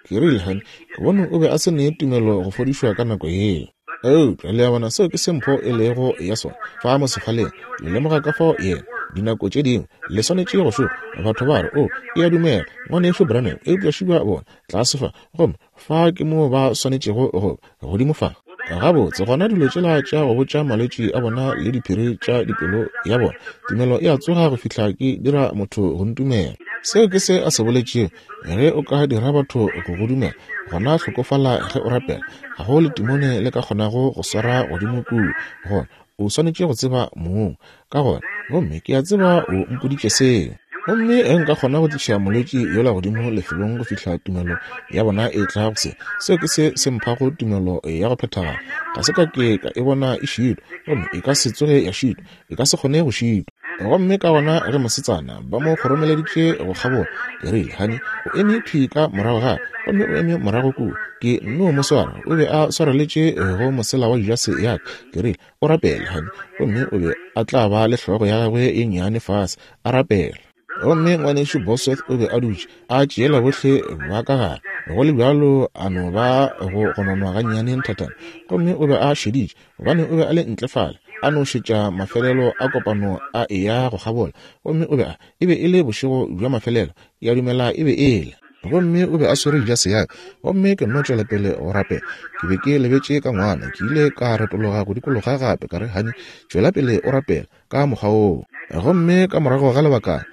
Ke rile, Hani, ke bone o be a se ne tumelo go fodišwa ka nako yeo. Eupša le a bona seo ke se mpho e lego ya sona fa mo sefaleng. Le lemoga ka fao yena, dinako tše dingwe, le swanetše go šoma. Batho ba re, O, ke a dumela, Ngwanešu Branham, eupša šiba bona tlase fa, gomme fa ke moo ba swanetšego go ba, godimo fa. Gabotse, gona dilo tšela tša go botša malwetši a bona le diphiri tša dipelo ya bona, tumelo e a tsoga go fihla ke dira motho go ntumela. Seo ke se a se boletšego. Ge o ka dira batho go go dumela, gona hlokofala ge o rapela. Ga go letimone le ka kgonago go swara godimo kua. Gona o swanetše go tseba mong. Ka gona, gomme ke a tseba o mpoditše seo. Gomme ge nka kgona go tliša molwetši yola godimo lefelong go fihla tumelo ya bona e tla go se, seo ke se se mphago tumelo ya go phethagala. Ga se ka ke ka e bona e šitwa, gomme e ka se tsoge ya šitwa. E ka se kgone go šitwa. Gomme ka gona ge mosetsana ba mo kgoromeleditše go kgabola, ke rile, Hani, o eme thwi ka morago ga, gomme o eme morago kua. Ke nno mo swara, o be a swareletše go mosela wa jase ya ka. Ke rile, O rapele, hani. Gomme o be a tla ba le hlogo ya gagwe ye nnyane fase, a rapela. Gomme Ngwanešu Bosworth o be a dutše, a tšeela bohle ba ka gare, go le bjalo a no ba go gononwa gannyane nthathana. Gomme o be a šeditše, gobane o be a le ntle fale, a no šetša mafelelo a kopano a eya go kgabola. Gomme o be a, e be e le bošego bja mafelelo, ke a dumela e be e le. Gomme o be a swere jase ya ka, gomme ke nno tšwela pele go rapela. Ke be ke lebetše ka ngwana, ke ile ka retologa go dikologa gape, ka re, Hani, tšwela pele o rapela, ka mokgwa woo. Gomme ka morago ga lebakana,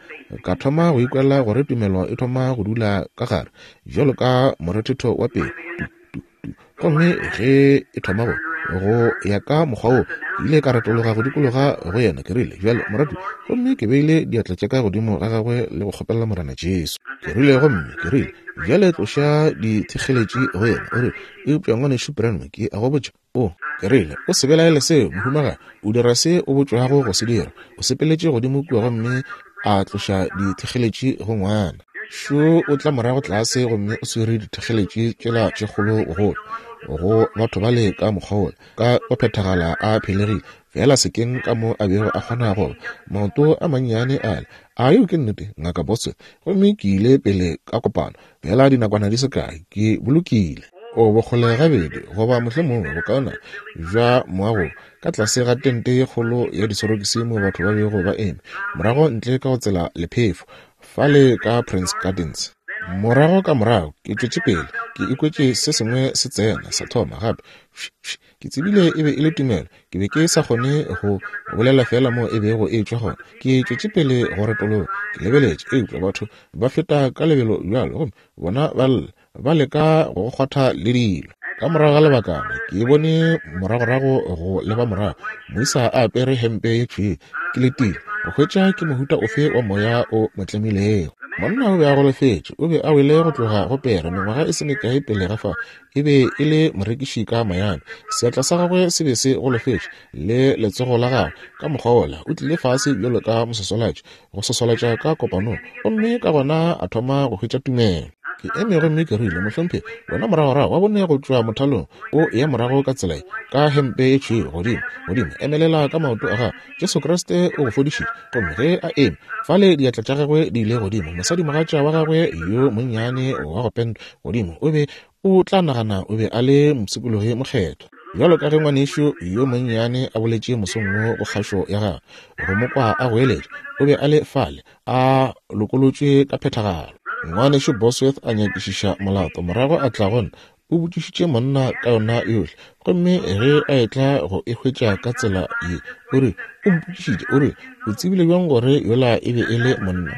ka thoma go ikwela gore tumelo e thoma go dula ka gare, bjalo ka morethetho wa pelo, tu, tu, tu. Gomme ge e thoma go, go ya ka mokgwa woo, ke ile ka retologa go dikologa go yena, ke rile, Bjale, moratu, gomme ke beile diatla tša ka godimo ga gagwe le go kgopelela Morena Jesu. Ke rile, gomme ke rile, Bjale tloša dithekgeletši go yena. O rile, Eupša Ngwanešu Branham, ke a go botša, O, ke rile, o se belaele seo, mohumagadi. O dira se o botšwago go se dira. O sepeletše godimo kua gomme a tloša dithekgeletši go ngwana. Šo o tla morago tlase gomme o swere dithekgeletši tšela tše kgolo golo go batho bale ka mokgwa wola, ka go phethagala a phelegile, feela sekeng ka mo a bego a kgona go ba. Maoto a mannyane ale. A yeo ke nnete, Ngaka Bosworth? Gomme ke ile pele ka kopano, Feela dinakwana di se kae, ke bolokile. O bokgole gabedi, goba mohlomongwe bokaona bja moago, ka tlase ga tente ye kgolo ya disorokisi mo batho ba bego ba eme, morago ntle ka go tsela lephefo, fale ka Prince Gardens. Morago ka morago, ke tšwetše pele, ke ikwetše se sengwe se tsena, sa thoma gape, fš, fš. Ke tsebile e be e le tumelo. Ke be ke sa kgone go bolela feela mo e bego e tšwa gona. Ke tšwetše pele go retologa, ke lebeletše, eupša batho ba feta ka lebelo bjalo gomme bona ba lla, ba leka go go kgwatha le dilo. Ka morago ga lebakana, ke bone moragorago go leba morago, moisa a apere hempe ye tšhweu. Ke letile go hwetša ke mohuta ofe wa moya o mo tlemilego. Monna o be a golofetše, o be a wele go tloga go pere mengwaga e se mekae pele ga fao. E be e le morekiši ka Miami. Seatla sa gagwe se be se golofetše, le letsogo la gagwe ka mokgwa wola. O tlile fase bjalo ka moswaswalatši, go swaswalatša ka kopanong, gomme ka gona a thoma go hwetša tumelo. Ke eme gomme ke rile, Mohlomphegi, wena moragorago wa bone go tšwa mothalong, o eya morago ka tsela ye, ka hempe ye tšhweu, godimo, godimo, emelela ka maoto a gago. Jesu Kriste o go fodišitše. Gomme ge a eme fale, diatla tša gagwe di ile godimo, mosadimogatša wa gagwe yo monnyane wa go pentwa godimo, o be o tla nagana o be a le mopshikologi mokgethwa. Bjalo ka ge ngwanešu yo monnyane a boletše mosong wo go kgašo ya gagwe, go mo kwa a goeletša, o be a le fale, a lokolotšwe ka phethagalo. Ngwanešu Bosworth a nyakišiša molato, morago a tla go nna, o botšišitše monna ka yona yohle. Gomme ge a etla go e hwetša ka tsela ye, o re, o mpotšišitše, o re, O tsebile bjang gore yola e be e le monna?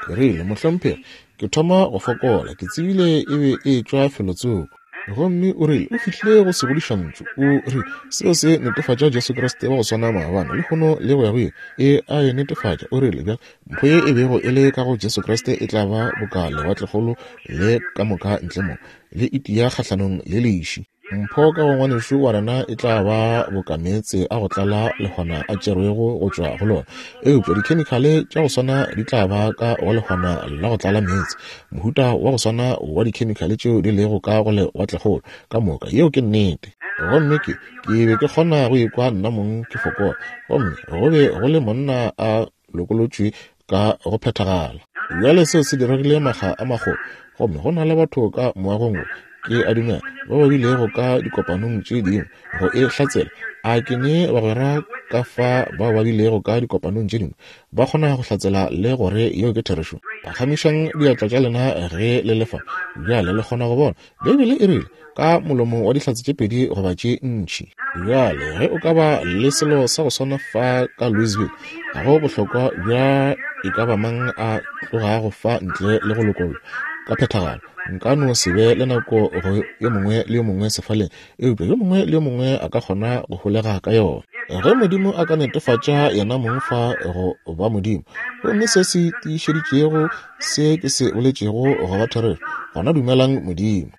Ke rile, Mohlomphegi, ke thoma go fokola. Ke tsebile e be e etšwa felotsoko. Gomme o rile, O fihlile go segodišantšu. O rile, Seo se netefatša Jesu Kriste wa go swana maabane, lehono, le go ya go ile. E a e netefatša. O rile, Bjale, mpho ye e bego e le ka go Jesu Kriste e tla ba boka lewatlekgolo le ka moka ntle mo, le itia kgahlanong le leši. Mpho ka go ngwanešu wa rena e tla ba boka meetse a go tlala lehwana a tšerwego go tšwa go lona, eupša dikhemikhale tša go swana di tla ba ka go lehwana la go tlala meetse, mohuta wa go swana wa dikhemikhale tšeo di lego ka go lewatlekgolo ka moka. Yeo ke nnete. Gomme ke, ke be ke kgona go ikwa nna mong ke fokola, gomme go be go le monna a lokolotšwe ka go phethagala. Bjale seo se diregile makga a magolo, gomme go na le batho ka moagong wo. Ke a dumela ba ba bilego ka dikopanong tše dingwe go e hlatsela. A ke ne bagwera ka fa bao ba bilego ka dikopanong tše dingwe ba kgona go hlatsela le gore yeo ke therešo? Phagamišang diatla tša lena ge le le fa. Bjale le kgona go bona Beibele e rile, Ka molomo wa dihlatse tše pedi goba tše ntši. Bjale ge o ka ba le selo sa go swana fa ka Louisville, ga go bohlokwa bja e ka ba mang a tlogago fa ntle le go lokollwa ka phethagalo. Nka no se be le nako go yo mongwe le yo mongwe sefaleng, eupša yo mongwe le yo mongwe a ka kgona go holega ka yona. Ge Modimo a ka netefatša yena mong fa go ba Modimo, gomme se se tiišeditšego se ke se boletšego go ba therešo, gona dumelang Modimo.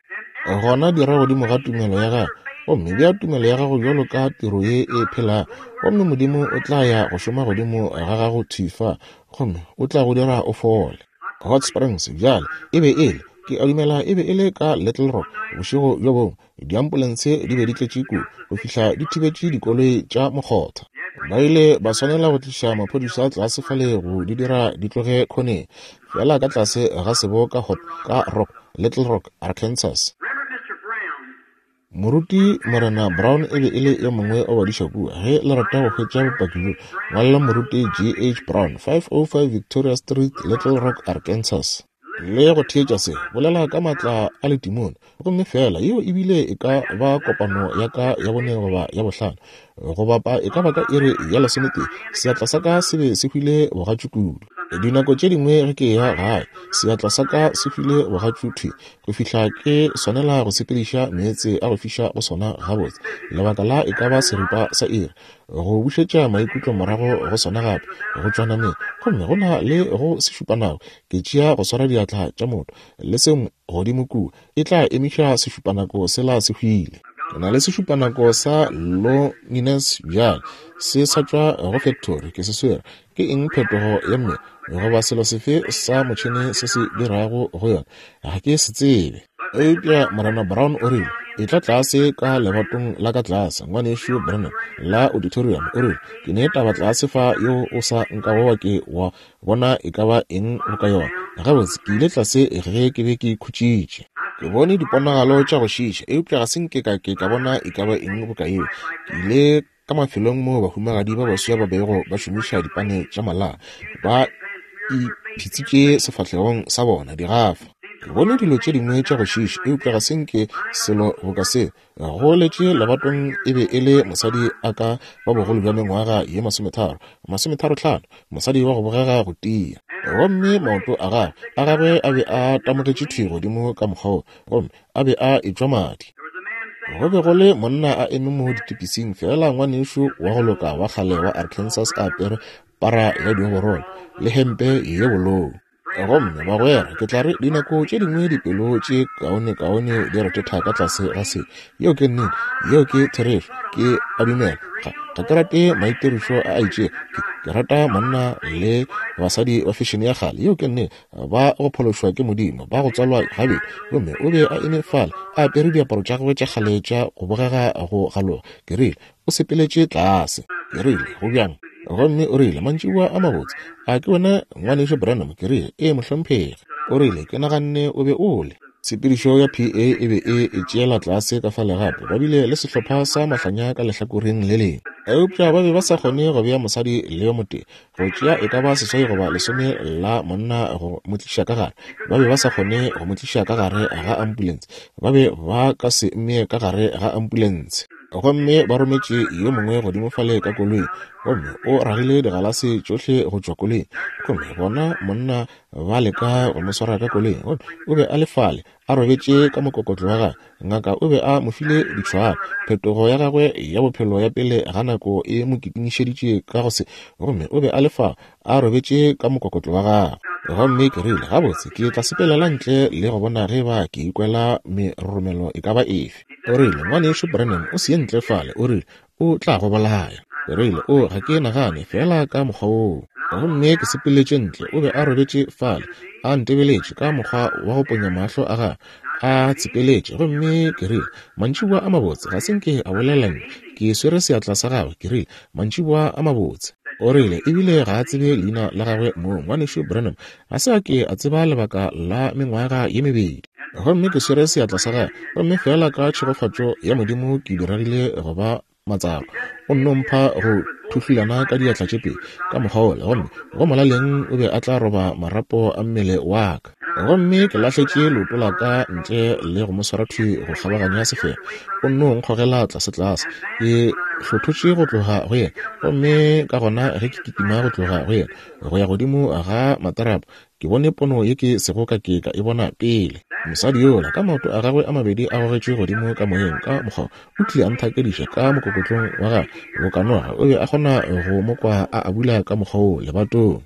Gona dira godimo ga tumelo ya gago, gomme bea tumelo ya gago bjalo ka tiro ye e phelago, gomme Modimo o tla ya go šoma godimo ga gago thwi fa, gomme o tla go dira o fole. Hot Springs bjale e be e le, ke a dumela e be e le ka Little Rock, bošego bjo bongwe, diampolense di be di tletše kudu go fihla di thibetše dikoloi tša mokgotha. Ba ile ba swanela go tliša maphodisa tlase fale go di dira di tloge khoneng, feela ka tlase ga sebo ka Hot, ka Rock, Little Rock, Arkansas. Moruti Morena Brown e be e le yo mongwe wa badiša kua. Ge le rata go hwetša bopaki bjo, ngwalela Moruti G. H. Brown, 505 Victoria Street, Little Rock, Arkansas. Le go theetša se, bolela ka maatla a letimone. Gomme feela yeo e bile e ka ba kopano ya ka ya bone goba ya bohlano, go bapa e ka ba ka iri ya lesometee, seatla sa ka se be se hwile bogatšu kudu. Dinako tše dingwe ge ke eya gae, seatla sa ka se hwile bogatšu thwi go fihla ke swanela go sepediša meetse a go fiša go sona gabotse lebaka la e ka ba seripa sa iri, go bušetša maikutlo morago go sona gape, go tšwa nameng. Gomme go na le go sešupanako, ke tšea go swara diatla tša motho le se godimo kua, e tla emiša sešupanako sela se hwile. Ke na le sešupanako sa Longines bjale, se sa tšwa go factory, ke se swere. Ke eng phetogo ya mmele goba selo sefe sa motšhene se se dirago go yona? Ga ke se tsebe. Eupša Morena Brown o rile, Etla tlase ka lebatong la ka tlase, Ngwanešu Branham, la auditorium. O rile, Ke ne taba tlase fa yeo o sa nkago wa ke wa bona e ka ba eng boka yona. Gabotse, ke ile tlase ge ke be ke khutšitše. Ke bone diponagalo tša go šiiša, eupša ga se nke ka ke ka bona e ka ba eng boka yeo. Ke ile ka mafelong moo bahumagadi ba baswa ba bego ba šomiša dipane tša malaa, ba iphitsitše sefahlegong sa bona, digafa. Ke bone dilo tše dingwe tša go šiiša, eupša ga se nke selo boka seo. Go letše lebatong e be e le mosadi a ka ba bogolo bja mengwaga ye masometharo, masometharotlhano, mosadi wa go bogega go tia. Gomme maoto a gagwe, a gagwe a be a tamogetše thwi godimo ka mokgwa wo, gomme a be a etšwa madi. Go be go le monna a eme mo ditepising, feela ngwanešu wa go loka wa kgale wa Arkansas a apere para ya dioborolo le hempe ye bolou. Gomme, bagwera, ke tla re dinako tše dingwe dipelo tše kaonekaone di rethetha ka tlase ga se. Yeo ke nnete. Yeo ke therešo. Ke a dumela. Ga, ga ke rate maitirišo a a itšego. Ke, ke rata monna le basadi ba fešene ya kgale. Yeo ke nnete. Ba go phološwa ke Modimo, ba go tswalwa gabedi. Gomme o be a eme fale, a apere diaparo tša gagwe tša kgale tša go bogega go galoga. Ke rile, O sepeletše tlase. Ke rile, Go bjang? Gomme o rile, Mantšiboa a mabotse. A ke wena Ngwanešu Branham? Ke rile, Ee, mohlomphegi. O rile, Ke naganne o be o le. Tshepedišo ya PA e be e e tšeela tlase ka fale gape. Ba bile le sehlopha sa mahlanya ka lehlakoreng le lengwe. Eupša ba be ba sa kgone go bea mosadi le yo motee, go tšea e ka ba seswai goba lesome la monna go mo tliša ka gare. Ba be ba sa kgone go mo tliša ka gare ga ambulense. Ba be ba ka se mmee ka gare ga ambulense. Gomme ba rometše yo mongwe godimo fale ka koloing, gomme o ragile digalase tšohle go tšwa koloing. Gomme bona monna ba leka go mo swara ka koloing, gomme o be a le fale a robetše ka mokokotlo wa gagwe. Ngaka o be a mo file ditšhwalo. Phetogo ya gagwe ya bophelo ya pele ga nako e mo kitimišeditše ka go se, gomme o be a le fa a robetše ka mokokotlo wa gagwe. Gomme ke rile, Gabotse, ke tla sepelela ntle le go bona ge eba ke ikwela meroromelo e ka ba efe. O rile, Ngwanešu Branham, o se ye ntle fale, o rile, o tla go bolaya. Ke rile, O, ga ke nagane feela ka mokgwa woo. Gomme ke sepeletše ntle, o be a robetše fale, a ntebeletše ka mokgwa wa go ponya mahlo a gagwe, a tsepeletše. Gomme ke rile, Mantšiboa a mabotse. Ga se nke a bolela nna. Ke swere seatla sa gagwe, ke rile, Mantšiboa a mabotse. O rile, Ebile ga a tsebe leina la gagwe mong. Ngwanešu Branham ga se a ke a tseba lebaka la mengwaga ye mebedi. Gomme ke swere seatla sa gagwe, gomme feela ka tšhegofatšo ya Modimo ke diregile go ba matsalo. O nno mpha go thuhlulana ka diatla tše pedi ka mokgwa wola, gomme go molaleng o be a tla roba marapo a mmele wa ka. Gomme ke lahletše leoto la ka ntle le go mo swara thwi go kgabaganya sefega. O nno nkgogela tlasetlase. Ke hlothotše go tloga go yena, gomme ka gona ge ke kitima go tloga go yena go ya godimo ga materapo, ke bone pono ye ke sego ka ke ka e bona pele. Mosadi yola, ka maoto a gagwe a mabedi a gogetšwe godimo ka moyeng ka mokgwa, o tlile a nthakediša ka mokokotlong wa gagwe boka noga. O be a kgona go mo kwa a abula ka mokgwa wo lebatong.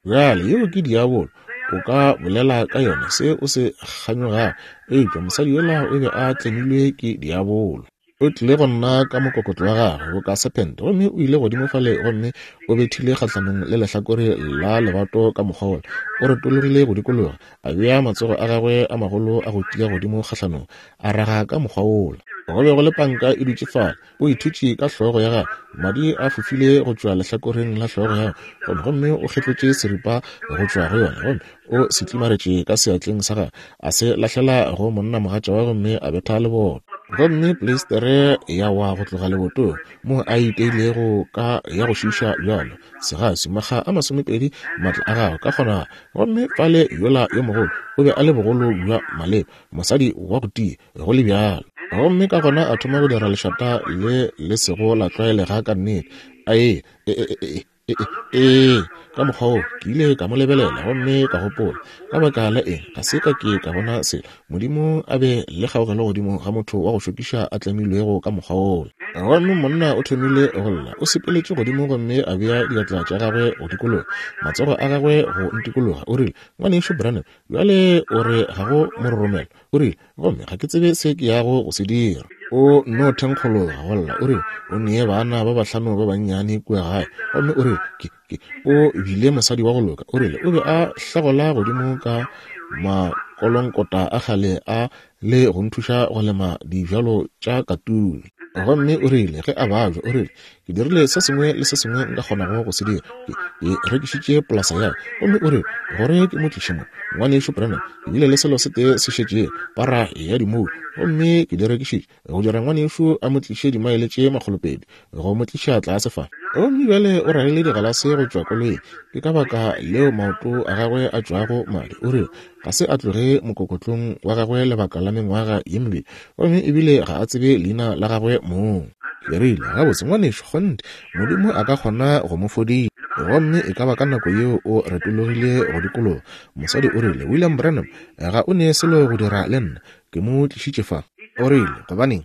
Bjale, yeo ke diabolo. O ka bolela ka yona se o se kganyogago, eupša mosadi yola o be a tlemilwe ke diabolo. O tlile go nna ka mokokotlo wa gagwe boka sephente, gomme o ile godimo fale gomme o bethile kgahlanong le lehlakore la lebato ka mokgwa wola. O retologile go dikologa, a bea matsogo a gagwe a magolo a go tia godimo kgahlanong, a raga ka mokgwa wola. Go be go le panka e dutše fale. O ithutše ka hlogo ya gagwe, madi a fofile go tšwa lehlakoreng la hlogo ya gagwe, gomme o kgetlotše seripa go tšwa go yona, gomme o se tlimaretše ka seatleng sa gagwe, a se lahlela go monnamogatša wa gomme a betha leboto. Gomme pleistere ya wa go tloga lebotong moo a iteilego ka ya go šiiša bjalo, segaswi, makga a masomepedi maatla a gagwe ka kgonagalo. Gomme fale yola yo mogolo o be a le bogolo bja maleba, mosadi wa go tia, go le bjalo. Gomme ka gona a thoma go dira lešata le le sego la tlwaelega ka nnete. A e, e, e, e, e, e, e, ka mokgwa wo ke ile ka mo lebelela gomme ka gopola, ka baka la eng ga se ka ke ka bona selo? Modimo a be le kgaogelo godimo ga motho wa go šokiša a tlemilwego ka mokgwa wola. Gomme monna o thomile go lla, o sepeletše godimo gomme a bea diatla tša gagwe go dikologa, matsogo a gagwe go ntikologa, o rile, Ngwanešu Branham, bjale o re ga go mororomelo. O rile, Gomme ga ke tsebe se ke yago go se dira. O nno thenkgologa go lla. O rile, O nee bana ba bahlano ba bannyane kua gae. Gomme o rile, Ke, ke, o bile mosadi wa go loka. O rile, O be a hlagola godimo ka makolonkota a kgale a le go nthuša go lema dibjalo tša katune. Gomme o rile, ge a babja, o rile, Ke dirile se sengwe le se sengwe nka kgonago go se dira. Ke, ke rekišitše polasa ya ka. Gomme o rile, Gore ke mo tliše mo, Ngwanešu Branham, ke bile le selo se tee se šetšego, para ya dimoulo, gomme ke di rekišitše, go dira ngwanešu a mo tliše dimaele tše makgolopedi, go mo tliša tlase fa. Gomme bjale o ragile digalase go tšwa koloing, ke ka baka leo maoto a gagwe a tšwago madi. O rile, Ga se a tloge mokokotlong wa gagwe lebaka la mengwaga ye mebedi, gomme ebile ga a tsebe leina la gagwe mong. Ke rile, Gabotse, ngwanešu, kgonthe, Modimo a ka kgona go mo fodiša. Gomme e ka ba ka nako yeo o retologile go dikologa. Mosadi o rile, William Branham, ga o ne selo go dira le nna. Ke mo tlišitše fa. O rile, Gobaneng?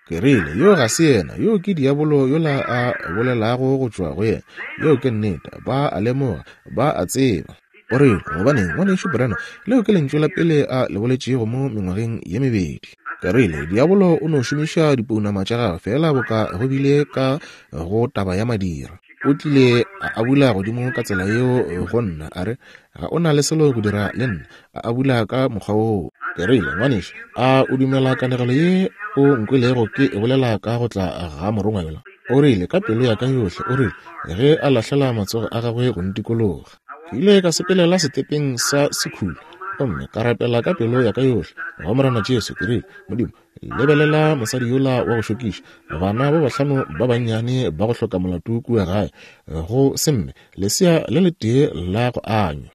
Ke rile, Yoo ga se yena. Yoo ke diabolo yola a bolelago go tšwa go yena. Yeo ke nnete. Ba a lemoga. Ba a tseba. O rile, Gobaneng, Ngwanešu Branham, leo ke lentšu la pele a le boletšego mo mengwageng ye mebedi. Ke rile, Diabolo o no šomiša dipounama tša gagwe feela boka go bile ka go taba ya madira. O tlile a abula godimo ka tsela yeo go nna, a re, Ga o na le selo go dira le nna. A abula ka mokgwa woo. Ke rile, Ngwanešu, a o dumela kanegelo ye o nkwelego ke e bolela ka go tla ga morongwa yola? O rile, Ka pelo ya ka yohle, o rile, ge a lahlela matsogo a gagwe go ntikologa. Ke ile ka sepelela setepeng sa sekhulu gomme ka rapela ka pelo ya ka yohle go Morena Jesu. Ke rile, Modimo, lebelela mosadi yola wa go šokiša, bana ba bahlano ba bannyane ba go hloka molato kua gae, go se mme, lesea le letee la go anywa.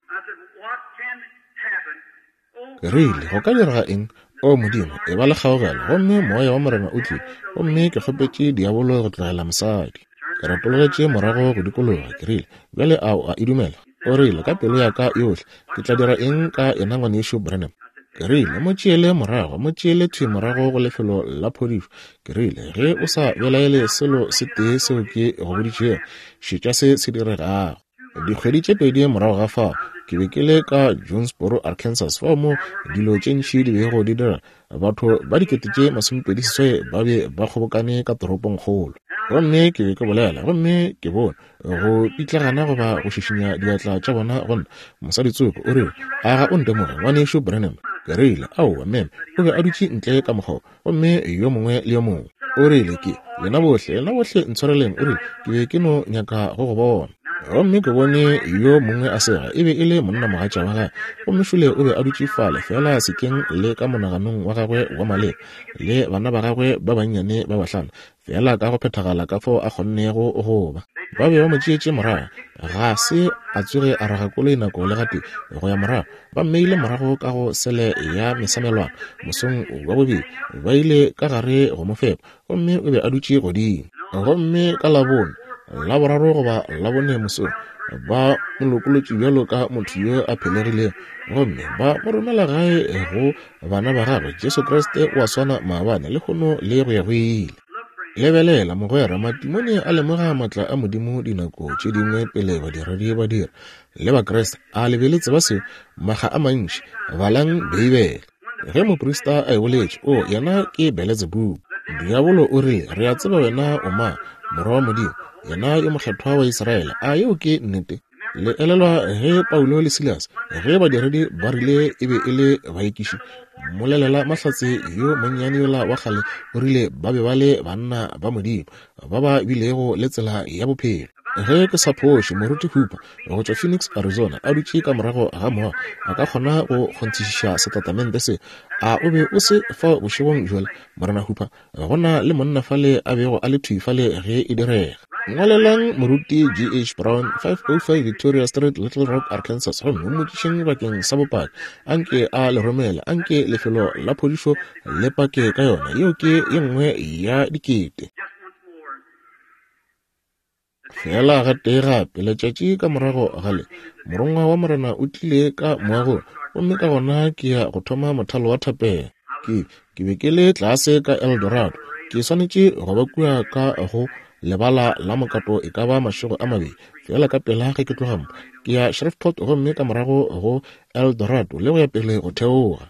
Ke rile, Go ka direga eng? O Modimo, e ba le kgaogelo. Gomme Moya wa Morena o tlile, gomme ke kgopetše diabolo go tlogela mosadi. Ke retologetše morago go dikologa, ke rile, Bjale a o a e dumela? O rile, Ka pelo ya ka yohle. Ke tla dira eng ka yena, Ngwanešu Branham? Ke rile, Mo tšeele morago, mo tšeele thwi morago go lefelo la phodišo. Ke rile, Ge o sa belaele selo se tee seo ke go boditšego, šetša se se diregago. Dikgwedi tše pedi morago ga fao, ke be ke le ka Jonesboro, Arkansas, fao mo dilo tše ntši di bego di dira. Batho ba 28,000 ba be ba kgobokane ka toropongkgolo. Gomme ke be ke bolela, gomme ke bone go pitlagana goba go šišinya diatla tša bona go nna. Mosadi tsoko o rile, A ga o ntemoge, Ngwanešu Branham? Ke rile, Aowa, meme. O be a dutše ntle ka mokgwa wo, gomme yo mongwe le yo mongwe. O rile, Ke, lena bohle, lena bohle ntshwareleng, o rile, ke be ke no nyaka go go bona. Gomme ke bone yo mongwe a sega, e be e le monnamogatša wa gagwe, gomme šole o be a dutše fale feela sekeng le ka monaganong wa gagwe wa maleba, le bana ba gagwe ba bannyane ba bahlano, feela ka go phethagala ka fao a kgonnego go ba. Ba be ba mo tšeetše morago, ga se a tsoge a raga koloi nako le gatee go ya morago. Ba mmeile morago ka go sele ya mesamelwana mosong wa bobedi, ba ile ka gare go mo fepa, gomme o be a dutše godimo. Gomme ka Labone, Laboraro goba Labone mosong, ba mo lokolotše bjalo ka motho yo a phelegilego, gomme ba mo romela gae go bana ba gagwe. Jesu Kriste o a swana maabane, lehono le go ya go ile. Lebelela, mogwera, matimone a lemoga maatla a Modimo dinako tše dingwe pele badiredi ba dira. Le Bakriste, a le be le tseba seo? Makga a mantši, balang Beibele. Ge moprista a e boletše, o, yena ke Beletsebubu. Diabolo o rile, Re a tseba wena o mang, Morwa wa Modimo, yena yo Mokgethwa wa Israele. A yeo ke nnete? Le elelwa ge Paulo le Silas, ge badiredi ba rile e be e le baekiši, mmolelela mahlatse yo monnyane yola wa kgale o rile ba be ba le banna ba Modimo, ba ba bilego le tsela ya bophelo. Ge ke sa phoše, Moruti Hooper, go tšwa Phoenix, Arizona, a dutše ka morago ga moago, a ka kgona go kgonthišiša setatamente se. A o be o se fao bošegong bjola, Morena Hooper? Go na le monna fale a bego a le thwi fale ge e direga. Ngwalelang Moruti G. H. Brown, 505 Victoria Street, Little Rock, Arkansas, gomme o mmotšišeng bakeng sa bopaki. Anke a le romele. Anke lefelo la phodišo le pake ka yona. Yeo ke ye nngwe ya dikete. Feela gatee gape, letšatši ka morago ga le, Morongwa wa Morena o tlile ka moagong, gomme ka gona ke ya go thoma mothalo wa thapelo. Ke, ke be ke le tlase ka El Dorado. Ke swanetše go ba kua ka go lebala la mokato e ka ba mašego a mabedi, feela ka pela ge ke tloga mo. Ke ya Shreveport gomme ka morago go El Dorado le go ya pele go theoga.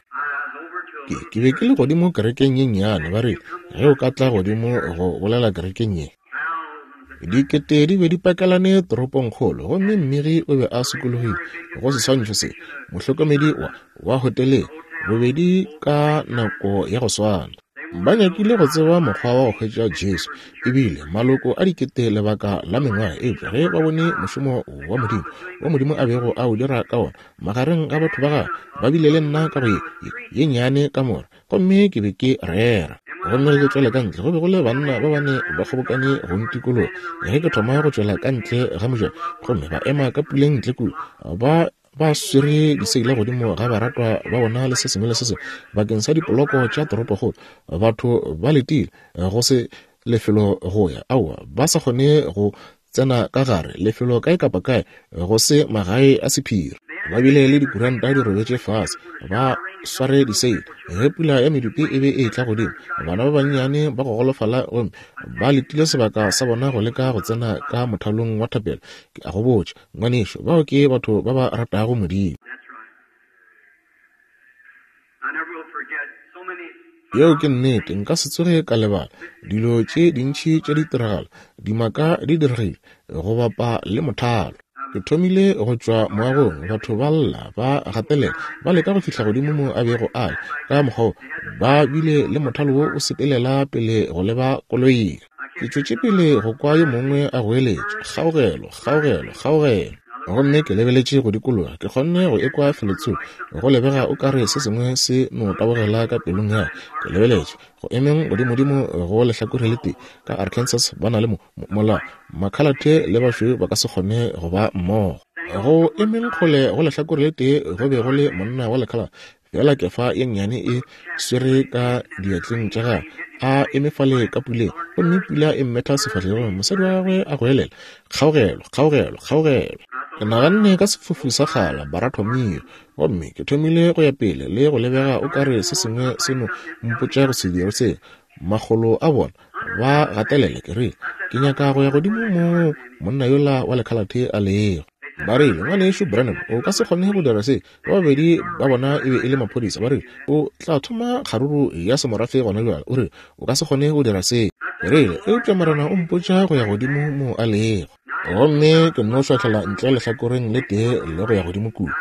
Ke, ke be ke le godimo kerekeng ye nnyane, ba rile, Ge o ka tla godimo go bolela kerekeng ye. Dikete di be di pakelane toropongkgolo gomme mmegi o be a sokologile go seswantšho se mohlokomedi wa wa hoteleng bobedi ka nako ya go swana. Ba nyakile go tseba mokgwa wa go hwetša Jesu ebile maloko a dikete lebaka la mengwaga, eupša ge ba bone mošomo wa Modimo wo Modimo a bego a o dira ka wona magareng ga batho ba gagwe, ba bile le nna ka go ye, ye, ye nnyane kamora. Gomme ke be ke rera. Gomme ge ke tšwela ka ntle, go be go le banna ba bane ba kgobokane go ntikologa. Ge ke thoma go tšwela ka ntle ga mojako, gomme ba ema ka puleng ntle kua, ba ba swere diseila godimo ga baratwa ba bona le se sengwe le se sengwe bakeng sa dipoloko tša toropokgolo. Batho ba letile go se lefelo go ya, aowa, ba sa kgone go tsena ka gare lefelo kae kapa kae go se magae a sephiri. Ba bile le dikuranta di robetše fase, ba sware diseile. Ge pula ya medupi e be e etla godimo, bana ba bannyane ba go golofala gomme ba letile sebaka sa bona go leka go tsena ka mothalong wa thapelo. Ke a go botša, ngwanešu, bao ke batho ba ba ratago Modimo. Yeo ke nnete, nka se tsoge ka lebala dilo tše dintši tša ditiragalo, dimaka di diregile go bapa le mothalo. Ke thomile go tšwa moagong, batho ba lla, ba gatelela, ba leka go fihla godimo mo a bego a le. Ka mokgwa wo, ba bile le mothalo wo o sepelela pele go leba koloing. Ke tšwetše pele go kwa yo mongwe a goeletša, Kgaogelo, kgaogelo, kgaogelo! Gomme ke lebeletše go dikologa, ke kgonne go ekwa felotsoko, go lebega o ka re se sengwe se no tabogela ka pelong ya ka. Ke lebeletše, go emeng godimodimo go lehlakore le tee, ka Arkansas ba na le mo, mo, molao, makhalathe le bašweu ba ka se kgone go ba mmogo. Go emeng kgole go lehlakore le tee go be go le monna wa lekhalate, Feela kefa ye nnyane e swere ka diatleng tša gagwe, a eme fale ka puleng, gomme pula e mmetha sefahlegong. Mosadi wa gagwe a goelela, Kgaogelo, kgaogelo, kgaogelo! Ke naganne ka sefofu sa kgala, Baratomio, gomme ke thomile go ya pele le go lebega o ka re se sengwe se no mpotša go se dire seo. Makgolo a bona ba gatelela, ke rile, Ke nyaka go ya godimo moo monna yola wa lekhalathe a lego. Ba rile, Ngwanešu Branham, o ka se kgone go dira se. Ba babedi ba bona e be e le maphodisa. Ba rile, O tla thoma kgaruru ya semorafe gona bjale. O rile, O ka se kgone go dira se. Ke rile, Eupša Morena o mpotša go ya godimo mo a lego. Gomme ke nno šwahlela ntle lehlakoreng le tee le go ya godimo kua.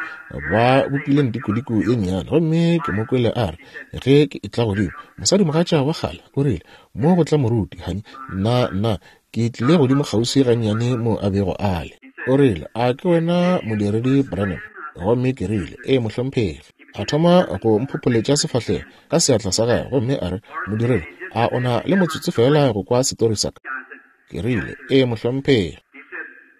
Ba bopile ntikodiko ye nnyane, gomme ke mo kwele a re, ge ke etla godimo, mosadimogatša wa kgale o rile, Mo go tla moruti, hani. Nna, nna, ke tlile godimo kgauswi gannyane mo a bego a le. O rile, A ke wena Modiredi Branham? Gomme ke rile, Ee, mohlomphegi. A thoma go mphopholetša sefahlego ka seatla sa gagwe, gomme a re, Modiredi, a o na le motsotso feela go kwa setori sa ka? Ke rile, Ee, mohlomphegi.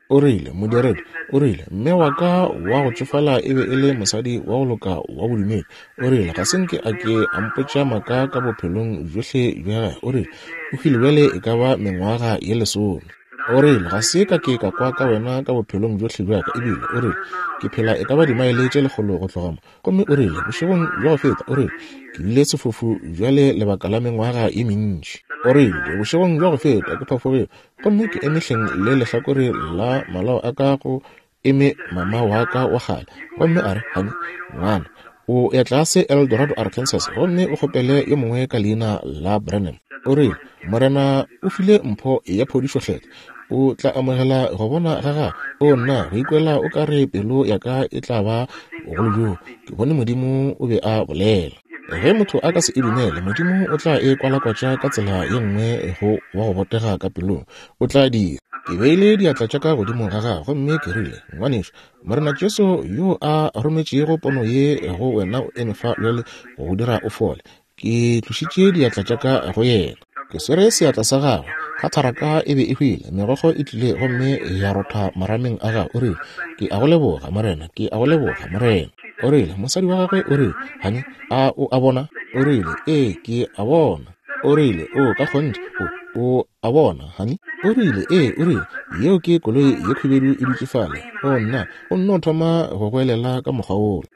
O rile, Modiredi, o rile, mme wa ka wa go tšofala e be e le mosadi wa go loka wa bodumedi. O rile, Ga se nke a ke a mpotša maaka ka bophelong bjohle bja gagwe. O rile, O hwile bjale e ka ba mengwaga ye lesome. O rile, Ga se ka ke ka kwa ka wena ka bophelong bjohle bja ka, ebile, o rile, ke phela e ka ba dimaele tše lekgolo go tloga mo. Gomme o rile, bošegong bja go feta, o rile, ke bile sefofu bjale lebaka la mengwaga ye mentši. O rile, bošegong bja go feta ke phafogile, gomme ke eme hleng le lehlakore la malao a ka go eme mama wa ka wa kgale. Gomme a re, Hani, ngwana, o ya tlase El Dorado, Arkansas, gomme o kgopele yo mongwe ka leina la Branham. O rile, Morena o file mpho ya phodišo Kgethwa. O tla amogela go bona ga gagwe. O nna, go ikwela o ka re pelo ya ka e tla ba bogolo bjoo. Ke bone Modimo o be a bolela. Ge motho a ka se e dumele, Modimo o tla e kwalakwatša ka tsela ye nngwe go wa go botega ka pelong. O tla dira. Ke beile diatla tša ka godimo ga gagwe gomme ke rile, Ngwanešu, Morena Jesu yo a rometšego pono ye go wena o eme fa bjale go go dira o fole. Ke tlošitše diatla tša ka go yena. Ke swere seatla sa gagwe. Khatharaka e be e hwile, megokgo e tlile gomme ya rotha marameng a gagwe. O rile, Ke a go leboga, Morena. Ke a go leboga, Morena. O rile, mosadi wa gagwe o rile, Hani, a o a bona? O rile, Ee, ke a bona. O rile, O, ka kgonthe, o, o a bona, hani? O rile, Ee, o rile, yeo ke koloi ye khubedu e dutše fale. O, nna, o nno thoma go goelela ka mokgwa wola.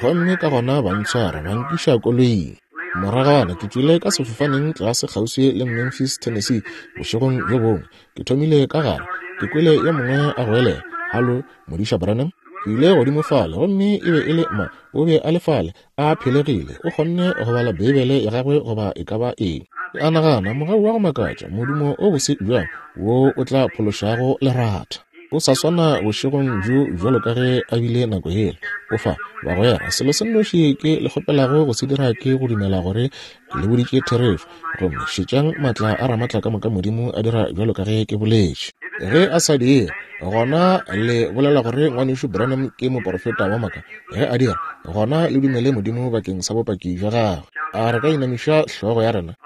Gomme ka gona ba ntshwara, ba nkiša koloing. Moragwana ke tšwile ka sefofaneng tlase kgauswi le Memphis, Tennessee, bošegong bjo bongwe. Ke thomile ka gare, ke kwele yo mongwe a goelela, Halo, Modiša Branham? Ke ile godimo fale, gomme e be e le ma, o be a le fale, a phelegile, o kgonne go bala Beibele ya gagwe goba e ka ba eng. Ke a nagana, mogau wa go makatša, modumo o bose bjang wo o tla phološago leratha. O sa swana bošegong bjo bjalo ka ge a bile nako yela. O fa, bagwera, selo se nnoši ke le kgopelago go se dira ke go dumela gore ke le boditše therešo. Gomme šetšang maatla a Ramatlakamoka Modimo a dira bjalo ka ge ke boletše. Ge a sa dire, gona le bolela gore Ngwanešu Branham ke moporofeta wa maaka. Ge a dira, gona le dumele Modimo bakeng sa bopaki bja gagwe. A re ka inamiša hlogo ya rena?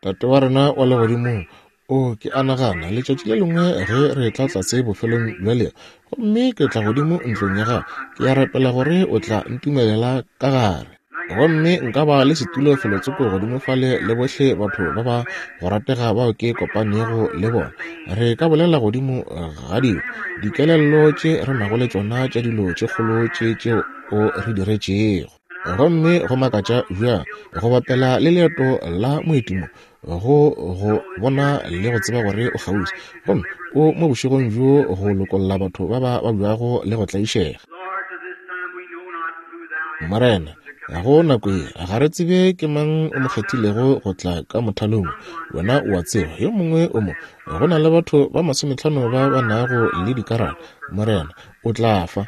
Tate wa rena wa Legodimong, o ke a nagana letšatši le lengwe ge re tla tlase bofelong bja leo, gomme ke tla godimo ntlong ya gago, ke a rapela gore o tla ntumelela ka gare. Gomme nka ba le setulo felotsoko godimo fale le bohle batho ba ba go ratega bao ke kopanego le bona. Re ka bolela godimo ga dilo, dikelello tše re nago le tšona tša dilo tše kgolo tše tšeo o re diretšego. Gomme go makatša bjang go bapela le leeto la moetimo go go bona le go tseba gore o kgauswi gomme o mo bošegong bjo go lokolla batho ba ba babjago le go tlaišega. Morena, go nako ye ga re tsebe ke mang o mo kgethilego go tla ka mothalong. Wena o a tseba, yo mongwe o mo. Go na le batho ba masometlhano ba ba nago le dikarata. Morena, o tla fa.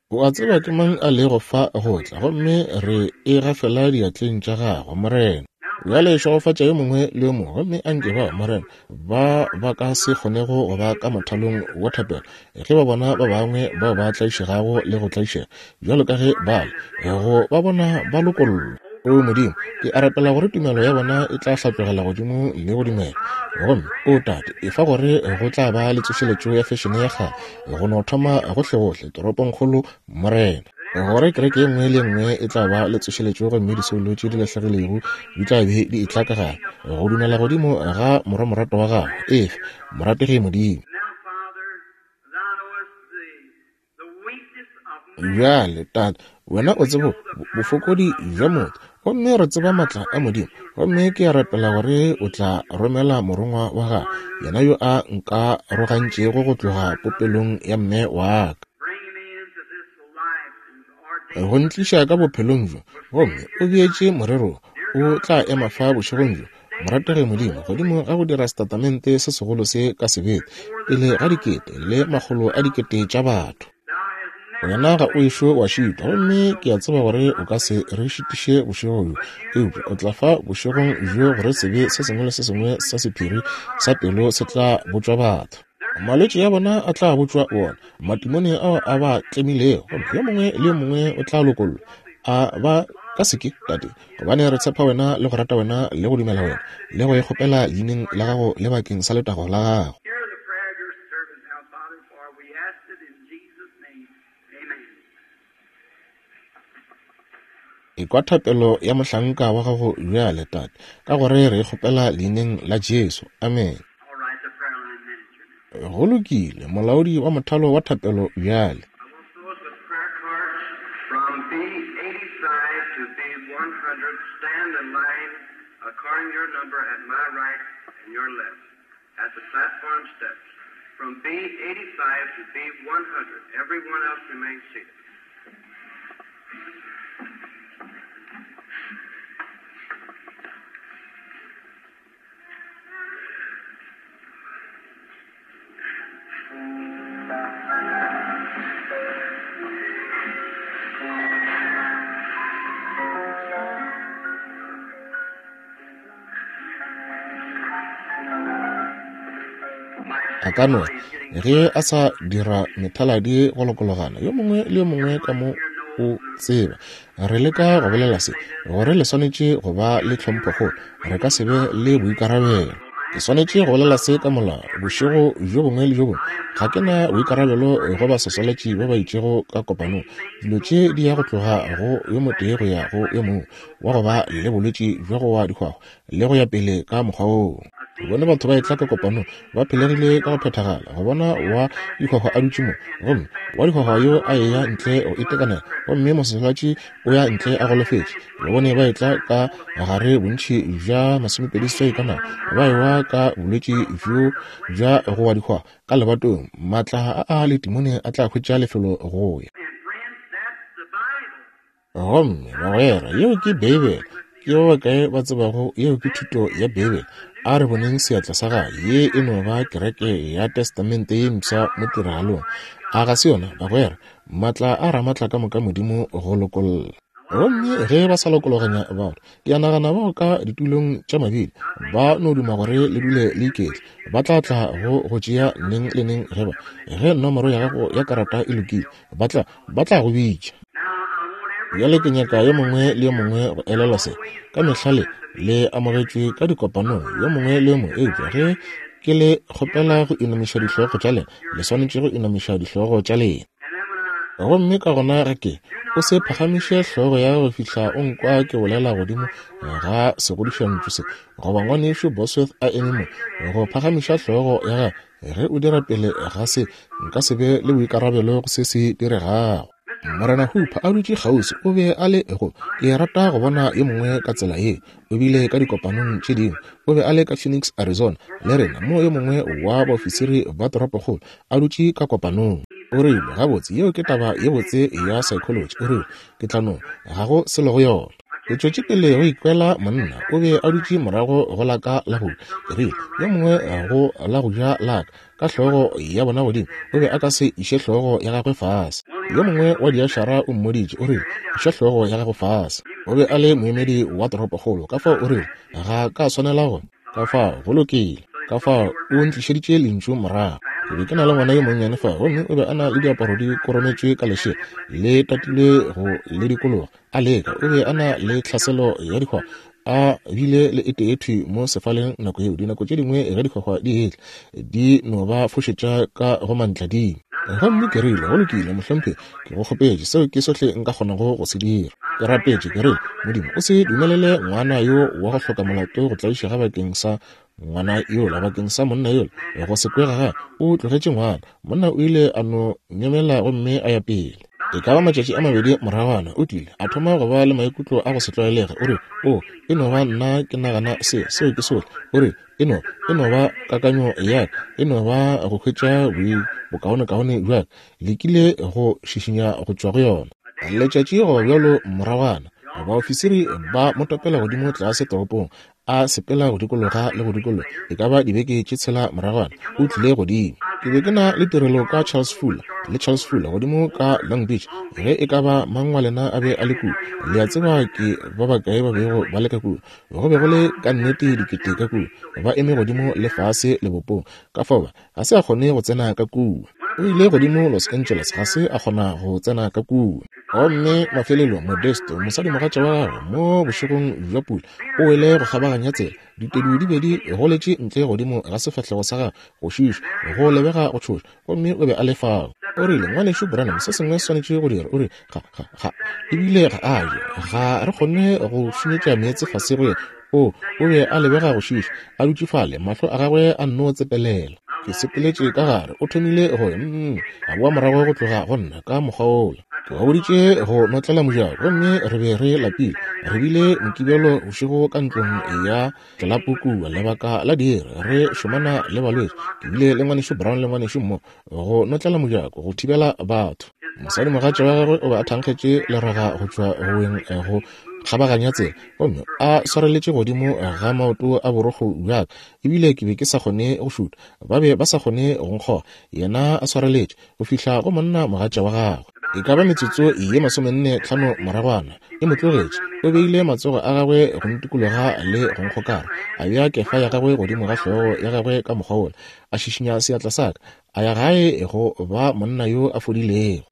O a tseba ke mang a lego fa go tla, gomme re e gafela diatleng tša gago, Morena. Bjale šegofatša yo mongwe le yo mongwe, gomme a nke ba, Morena, ba ba ka se kgonego go ba ka mothalong wa thapelo, ge ba bona ba bangwe bao ba tlaišegago le go tlaišega, bjalo ka ge ba le, go ba bona ba lokollwa. O Modimo, ke a rapela gore tumelo ya bona e tla hlatlogela godimo le go dumela. Gomme, o Tate, efa gore go tla ba le tsošeletšo ya fešene ya kgale, go no thoma gohlegohle toropongkgolo, Morena. Gore kereke ye nngwe le ye nngwe e tla ba le tsošeletšo gomme disoulo tše di lahlegilego di tla be di etla ka gare, go dumela godimo ga Morwa moratwa wa Gago. Efa, morategi Modimo. Bjale, Tate, Wena o tsebo bofokodi bja motho, gomme re tseba maatla a Modimo. Gomme ke a rapela gore o tla romela Morongwa wa Gago, yena yo a nkarogantšego go tloga popelong ya mme wa ka. Go ntliša ka bophelong bjo, gomme o beetše morero o tla ema fa bošegong bjo, morategi Modimo, godimo ga go dira setatamente se segolo se ka sebete pele ga dikete le makgolo a dikete tša batho. Wena ga o ešo wa šitwa, gomme ke a tseba gore o ka se re šitiše bošego bjo, eupša o tla fa bošegong bjo gore sebe se sengwe le se sengwe sa sephiri sa pelo se tla botšwa batho. Malwetši a bona a tla botšwa bona, matimone ao a ba tlemilego, gomme yo mongwe le yo mongwe o tla lokollwa. A ba ka seke, Tate, gobane re tshepa wena le go rata wena le go dumela wena le go e kgopela leineng la gago le bakeng sa letago la gago. Hear the prayer of your servant now, Father, for we ask it in Jesus' name. Amen. Ekwa thapelo ya mohlanka wa gago bjale, Tate, ka gore re e kgopela leineng la Jesu. Amen. All right, the prayer line manager now. Go lokile, molaodi wa mothalo wa thapelo bjale. I want those with prayer cards from B85 to B100 stand in line according to your number at my right and your left at the platform steps. From B85 to B100, everyone else remain seated. A ka no re ge a sa dira methaladi go lokologana, yo mongwe le yo mongwe ka mo o tseba. Re leka go bolela se, gore le swanetše go ba le tlhomphokgolo, re ka se be le boikarabelo. Ke swanetše go bolela se ka molao, bošego bjo bongwe le bjo bongwe. Ga ke na boikarabelo go basoswalatši ba ba itšego ka kopanong. Dilo tše di ya go tloga go yo motee go ya go yo mongwe, wa go ba le bolwetši bja go wa dihwahwa le go ya pele ka mokgwa woo. Ke bone batho ba etla ka kopanong ba phelegile ka go phethagala, go bona wa dihwahwa a dutše mo, gomme wa dihwahwa yo a eya ntle go itekanela, gomme mososwalatši o ya ntle a golofetše. Ke ba bone ba etla ka gare bontši bja 28 ka nako, ba ewa ka bolwetši bjo bja go wa dihwahwa ka lebatong. Maatla a a letimone a tla hwetša lefelo go ya. And friends, that's the Bible. Gomme bagwera, yeo ke Beibele. Ke ba bakae ba tsebago yeo ke thuto ya Beibele? A re boneng seatla sa gagwe. Ye e no ba kereke ya Testamente ye mpsha mo tiragalong. A ga se yona, bagwera? Maatla a Ramatla ka moka Modimo go lokolla. Gomme ge ba sa lokologanya batho, ke a nagana bao ka ditulong tša mabili ba no duma gore le dule le iketle, ba tla tla go go tšea neng le neng ge ba, ge nomoro ya gago ya karata e lokile, ba tla, ba tla go bitša. Bjale ke nyaka yo mongwe le yo mongwe go elelwa se. Ka mehla le, le amogetšwe ka dikopanong, yo mongwe le yo mongwe, eupša ge ke le kgopela go inamiša dihlogo tša lena, le swanetše go inamiša dihlogo tša lena. Gomme ka gona ge ke, o se phagamiše hlogo ya go fihla o nkwa ke bolela godimo ga segodišantšu se, goba ngwanešu Bosworth a eme mo, go phagamiša hlogo ya gagwe ge o dira pele ga se, nka se be le boikarabelo go se se diregago. Morena Hooper a dutše kgauswi, o be a le go, ke rata go bona yo mongwe ka tsela ye. O bile ka dikopanong tše dingwe, o be a le ka Phoenix, Arizona, le rena mo yo mongwe wa baofisiri ba toropokgolo a dutše ka kopanong. O rile, Gabotse, yeo ke taba ye botse ya psychology. O rile, Ke tla no, ga go selo go yona. Ke tšwetše pele go ikwela monna o be a dutše morago go la ka la go ja. Ke rile, Yo mongwe go la go ja la ka, ka hlogo ya bona godimo, o be a ka se iše hlogo ya gagwe fase. Yo mongwe wa diašara o mmoditše, o rile, Iša hlogo ya gago fase. O be a le moemedi wa toropokgolo, ka fao o rile, Ga ka swanela go. Ka fao, go lokile. Ka fao, o ntlišeditše lentšu morago. Ke be ke na le ngwana yo monnyane fa, gomme o be a na le diaparo di korometšwe ka lešela, le tatilwe go le dikologa. A leka, o be a na le tlhaselo ya dihwahwa, a bile le e tee thwi mo sefaleng nako yeo. Dinako tše dingwe ge dihwahwa di etla, di no ba fošetša ka go mantladima. Gomme ke rile, Go lokile, mohlomphegi, ke go kgopetše, seo ke sohle nka kgonago go se dira. Ke rapetše, ke rile, Modimo, o se dumelele ngwana yo wa go hloka molato go tlaišega bakeng sa ngwana yola, bakeng sa monna yola, go se kwe ga gagwe. O tlogetše ngwana. Monna o ile a no nyemela gomme a ya pele. E ka ba matšatši a mabedi moragwana, o tlile a thoma go ba le maikutlo a go se tlwaelege. O re, O, e no ba nna ke nagana se, seo ke sohle. O re, E no, e no ba kakanyo ya ka, e no ba go hwetša bokaonekaone bja ka. Lekile go šišinya go tšwa go yona. Letšatši goba bjalo moragwana, baofisiri ba mo topela godimo tlase toropong, a sepela go dikologa le go dikologa, e ka ba dibeke tše tshela moragwana, o tlile godimo. Ke be ke na le tirelo ka Charles Fuller, le Charles Fuller godimo ka Long Beach, ge e ka ba mang wa lena a be a le kua. Le a tseba ke ba bakae ba bego ba le ka kua. Go be go le ka nnete dikete ka kua, ba eme godimo le fase lebopong. Ka fao ba, ga se a kgone go tsena ka kua. O ile godimo Los Angeles, ga se a kgona go tsena ka kua. Gomme mafelelong Modesto, mosadimogatša wa gagwe, mo bošegong bja pula, o wele go kgabaganya tsela. Ditedu di be di goletše ntle godimo ga sefahlego sa gagwe, go šiiša, go lebega go tšhoša, gomme o be a le fao. O rile, Ngwanešu Branham, se sengwe se swanetše go dirwa. O rile, Ga, ga, ga, ebile ga a je. Ga re kgone go šunyetša meetse fase go yena. O, o be a lebega go šiiša, a dutše fale, mahlo a gagwe a nno tsepelela. Ke sepeletše ka gare, o thomile go, mm, a boa morago go tloga go nna ka mokgwa wola. Ke ba boditše go notlela mojako, gomme re be re lapile. Re bile Mokibelo bošego ka ntlong ya tlelapo kua, lebaka la diiri, re šomana le balwetši. Ke bile le Ngwanešu Brown le Ngwanešu Moore go notlela mojako, go thibela batho. Mosadimogatša wa gagwe o be a thankgetše leraga go tšwa go weng go kgabaganya tsela, gomme a swareletše godimo ga maoto a borokgo bja ka, ebile ke be ke sa kgone go šutha. Ba be ba sa kgone go nkgoga, yena a swareletše, go fihla go monna mogatša wa gagwe. E ka ba metsotso ye 45 moragwana, e mo tlogetše. O beile matsogo a gagwe go ntikologa le go nkgokara, a bea kefa ya gagwe godimo ga hlogo ya gagwe ka mokgwa wola, a šišinya seatla sa ka, a ya gae go ba monna yo a fodilego.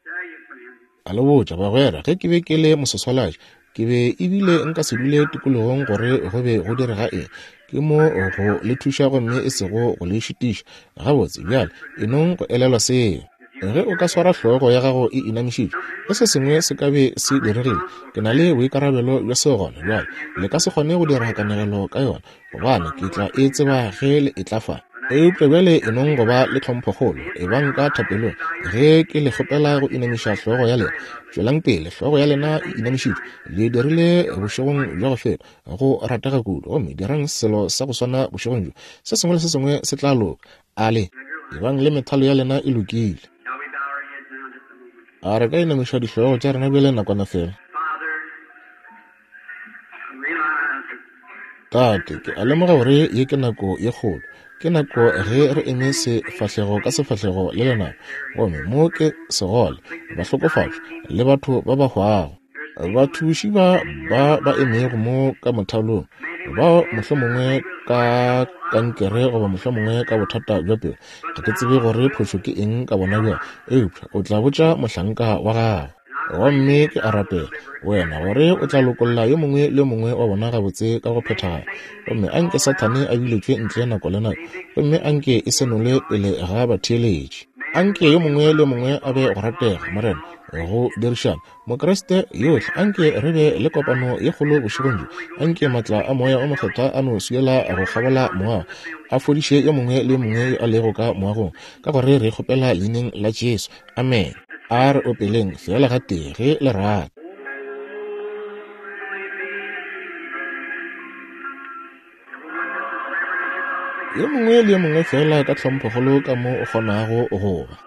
A le botša, bagwera, ge ke be ke le mososwalatši, ke be ebile nka se dule tikologong gore go be go direga eng. Ke mo go le thuša gomme e sego go le šitiša. Gabotse, bjale, e nong go elelwa seo. Ge o ka swara hlogo ya gago e inamišitšwe, ge se sengwe se ka be se diregile, ke na le boikarabelo bja seo gona bjale. Le ka se kgone go dira kanegelo ka yona, gobane ke tla e tseba ge le etla fa. Eupša bjale e nong go ba le tlhomphokgolo, ebang ka thapelong ge ke le kgopela go inamiša hlogo ya lena. Tšwelang pele, hlogo ya lena e inamišitšwe. Le dirile bošegong bja go feta, go ratega kudu, gomme dirang selo sa go swana bošegong bjo. Se sengwe le se sengwe se tla loka. A le ebang le methalo ya lena e lokile. A re ka inamiša dihlogo tša rena bjale nakwana fela? Tate, ke a lemoga gore ye ke nako ye kgolo. Ke nako ge re eme sefahlego ka sefahlego le lenaba, gomme mo ke segole, bahlokofatšwa, le batho ba ba hwago. Bathuši ba ba ba emego mo ka mothalong, bao mohlomongwe ka kankere goba mohlomongwe ka bothata bja pelo, ga ke tsebe gore phošo ke eng ka bona bjale, eupša o tla botša mohlanka wa gago. Gomme ke a rapela, Wena, gore o tla lokolla yo mongwe le yo mongwe wa bona gabotse ka go phethagala. Gomme a nke Sathane a biletšwe ntle nako le nako, gomme a nke e senolwe pele ga batheeletši. A nke yo mongwe le yo mongwe a be go ratega, Morena, go dirišana. Mokriste yohle, a nke re be le kopano ye kgolo bošegong bjo. A nke maatla a Moya o Mokgethwa a no swiela go kgabola moago, a fodiše yo mongwe le yo mongwe yo a lego ka moagong, ka gore re kgopela Leineng la Jesu. Amen. A re opeleng feela gatee ge le rata. Yo mongwe le yo mongwe feela ka tlhomphokgolo ka mo o kgonago go ba.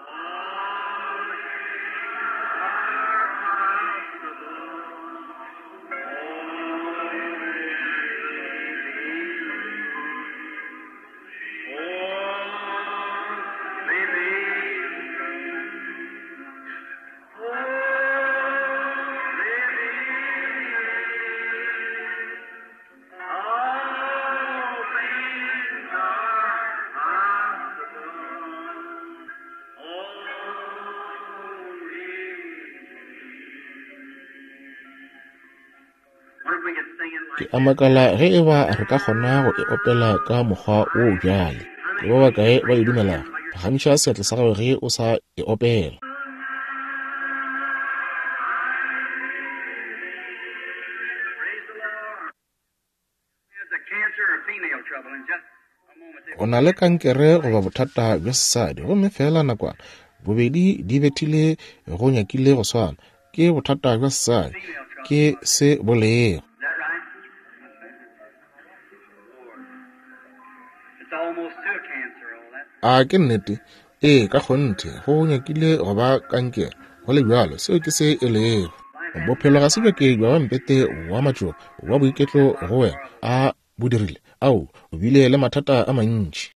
Ke a makala ge e ba re ka kgona go e opela ka mokgwa wo bjale. Ke ba bakae ba e dumelago? Phagamiša seatla sa gago ge o sa e opela. O na le kankere goba bothata bja sesadi, gomme feela nakwana, bobedi di bethile go nyakile go swana. Ke bothata bja sesadi, ke se bolego. A ke nnete? Ee, ka kgonthe, go nyakile go ba kankere, go le bjalo, seo ke se e lego. Bophelo ga se bja ke bja ba mpete wa matšoba wa boiketlo go wena. A bo dirile? Ao, o bile le mathata a mantši.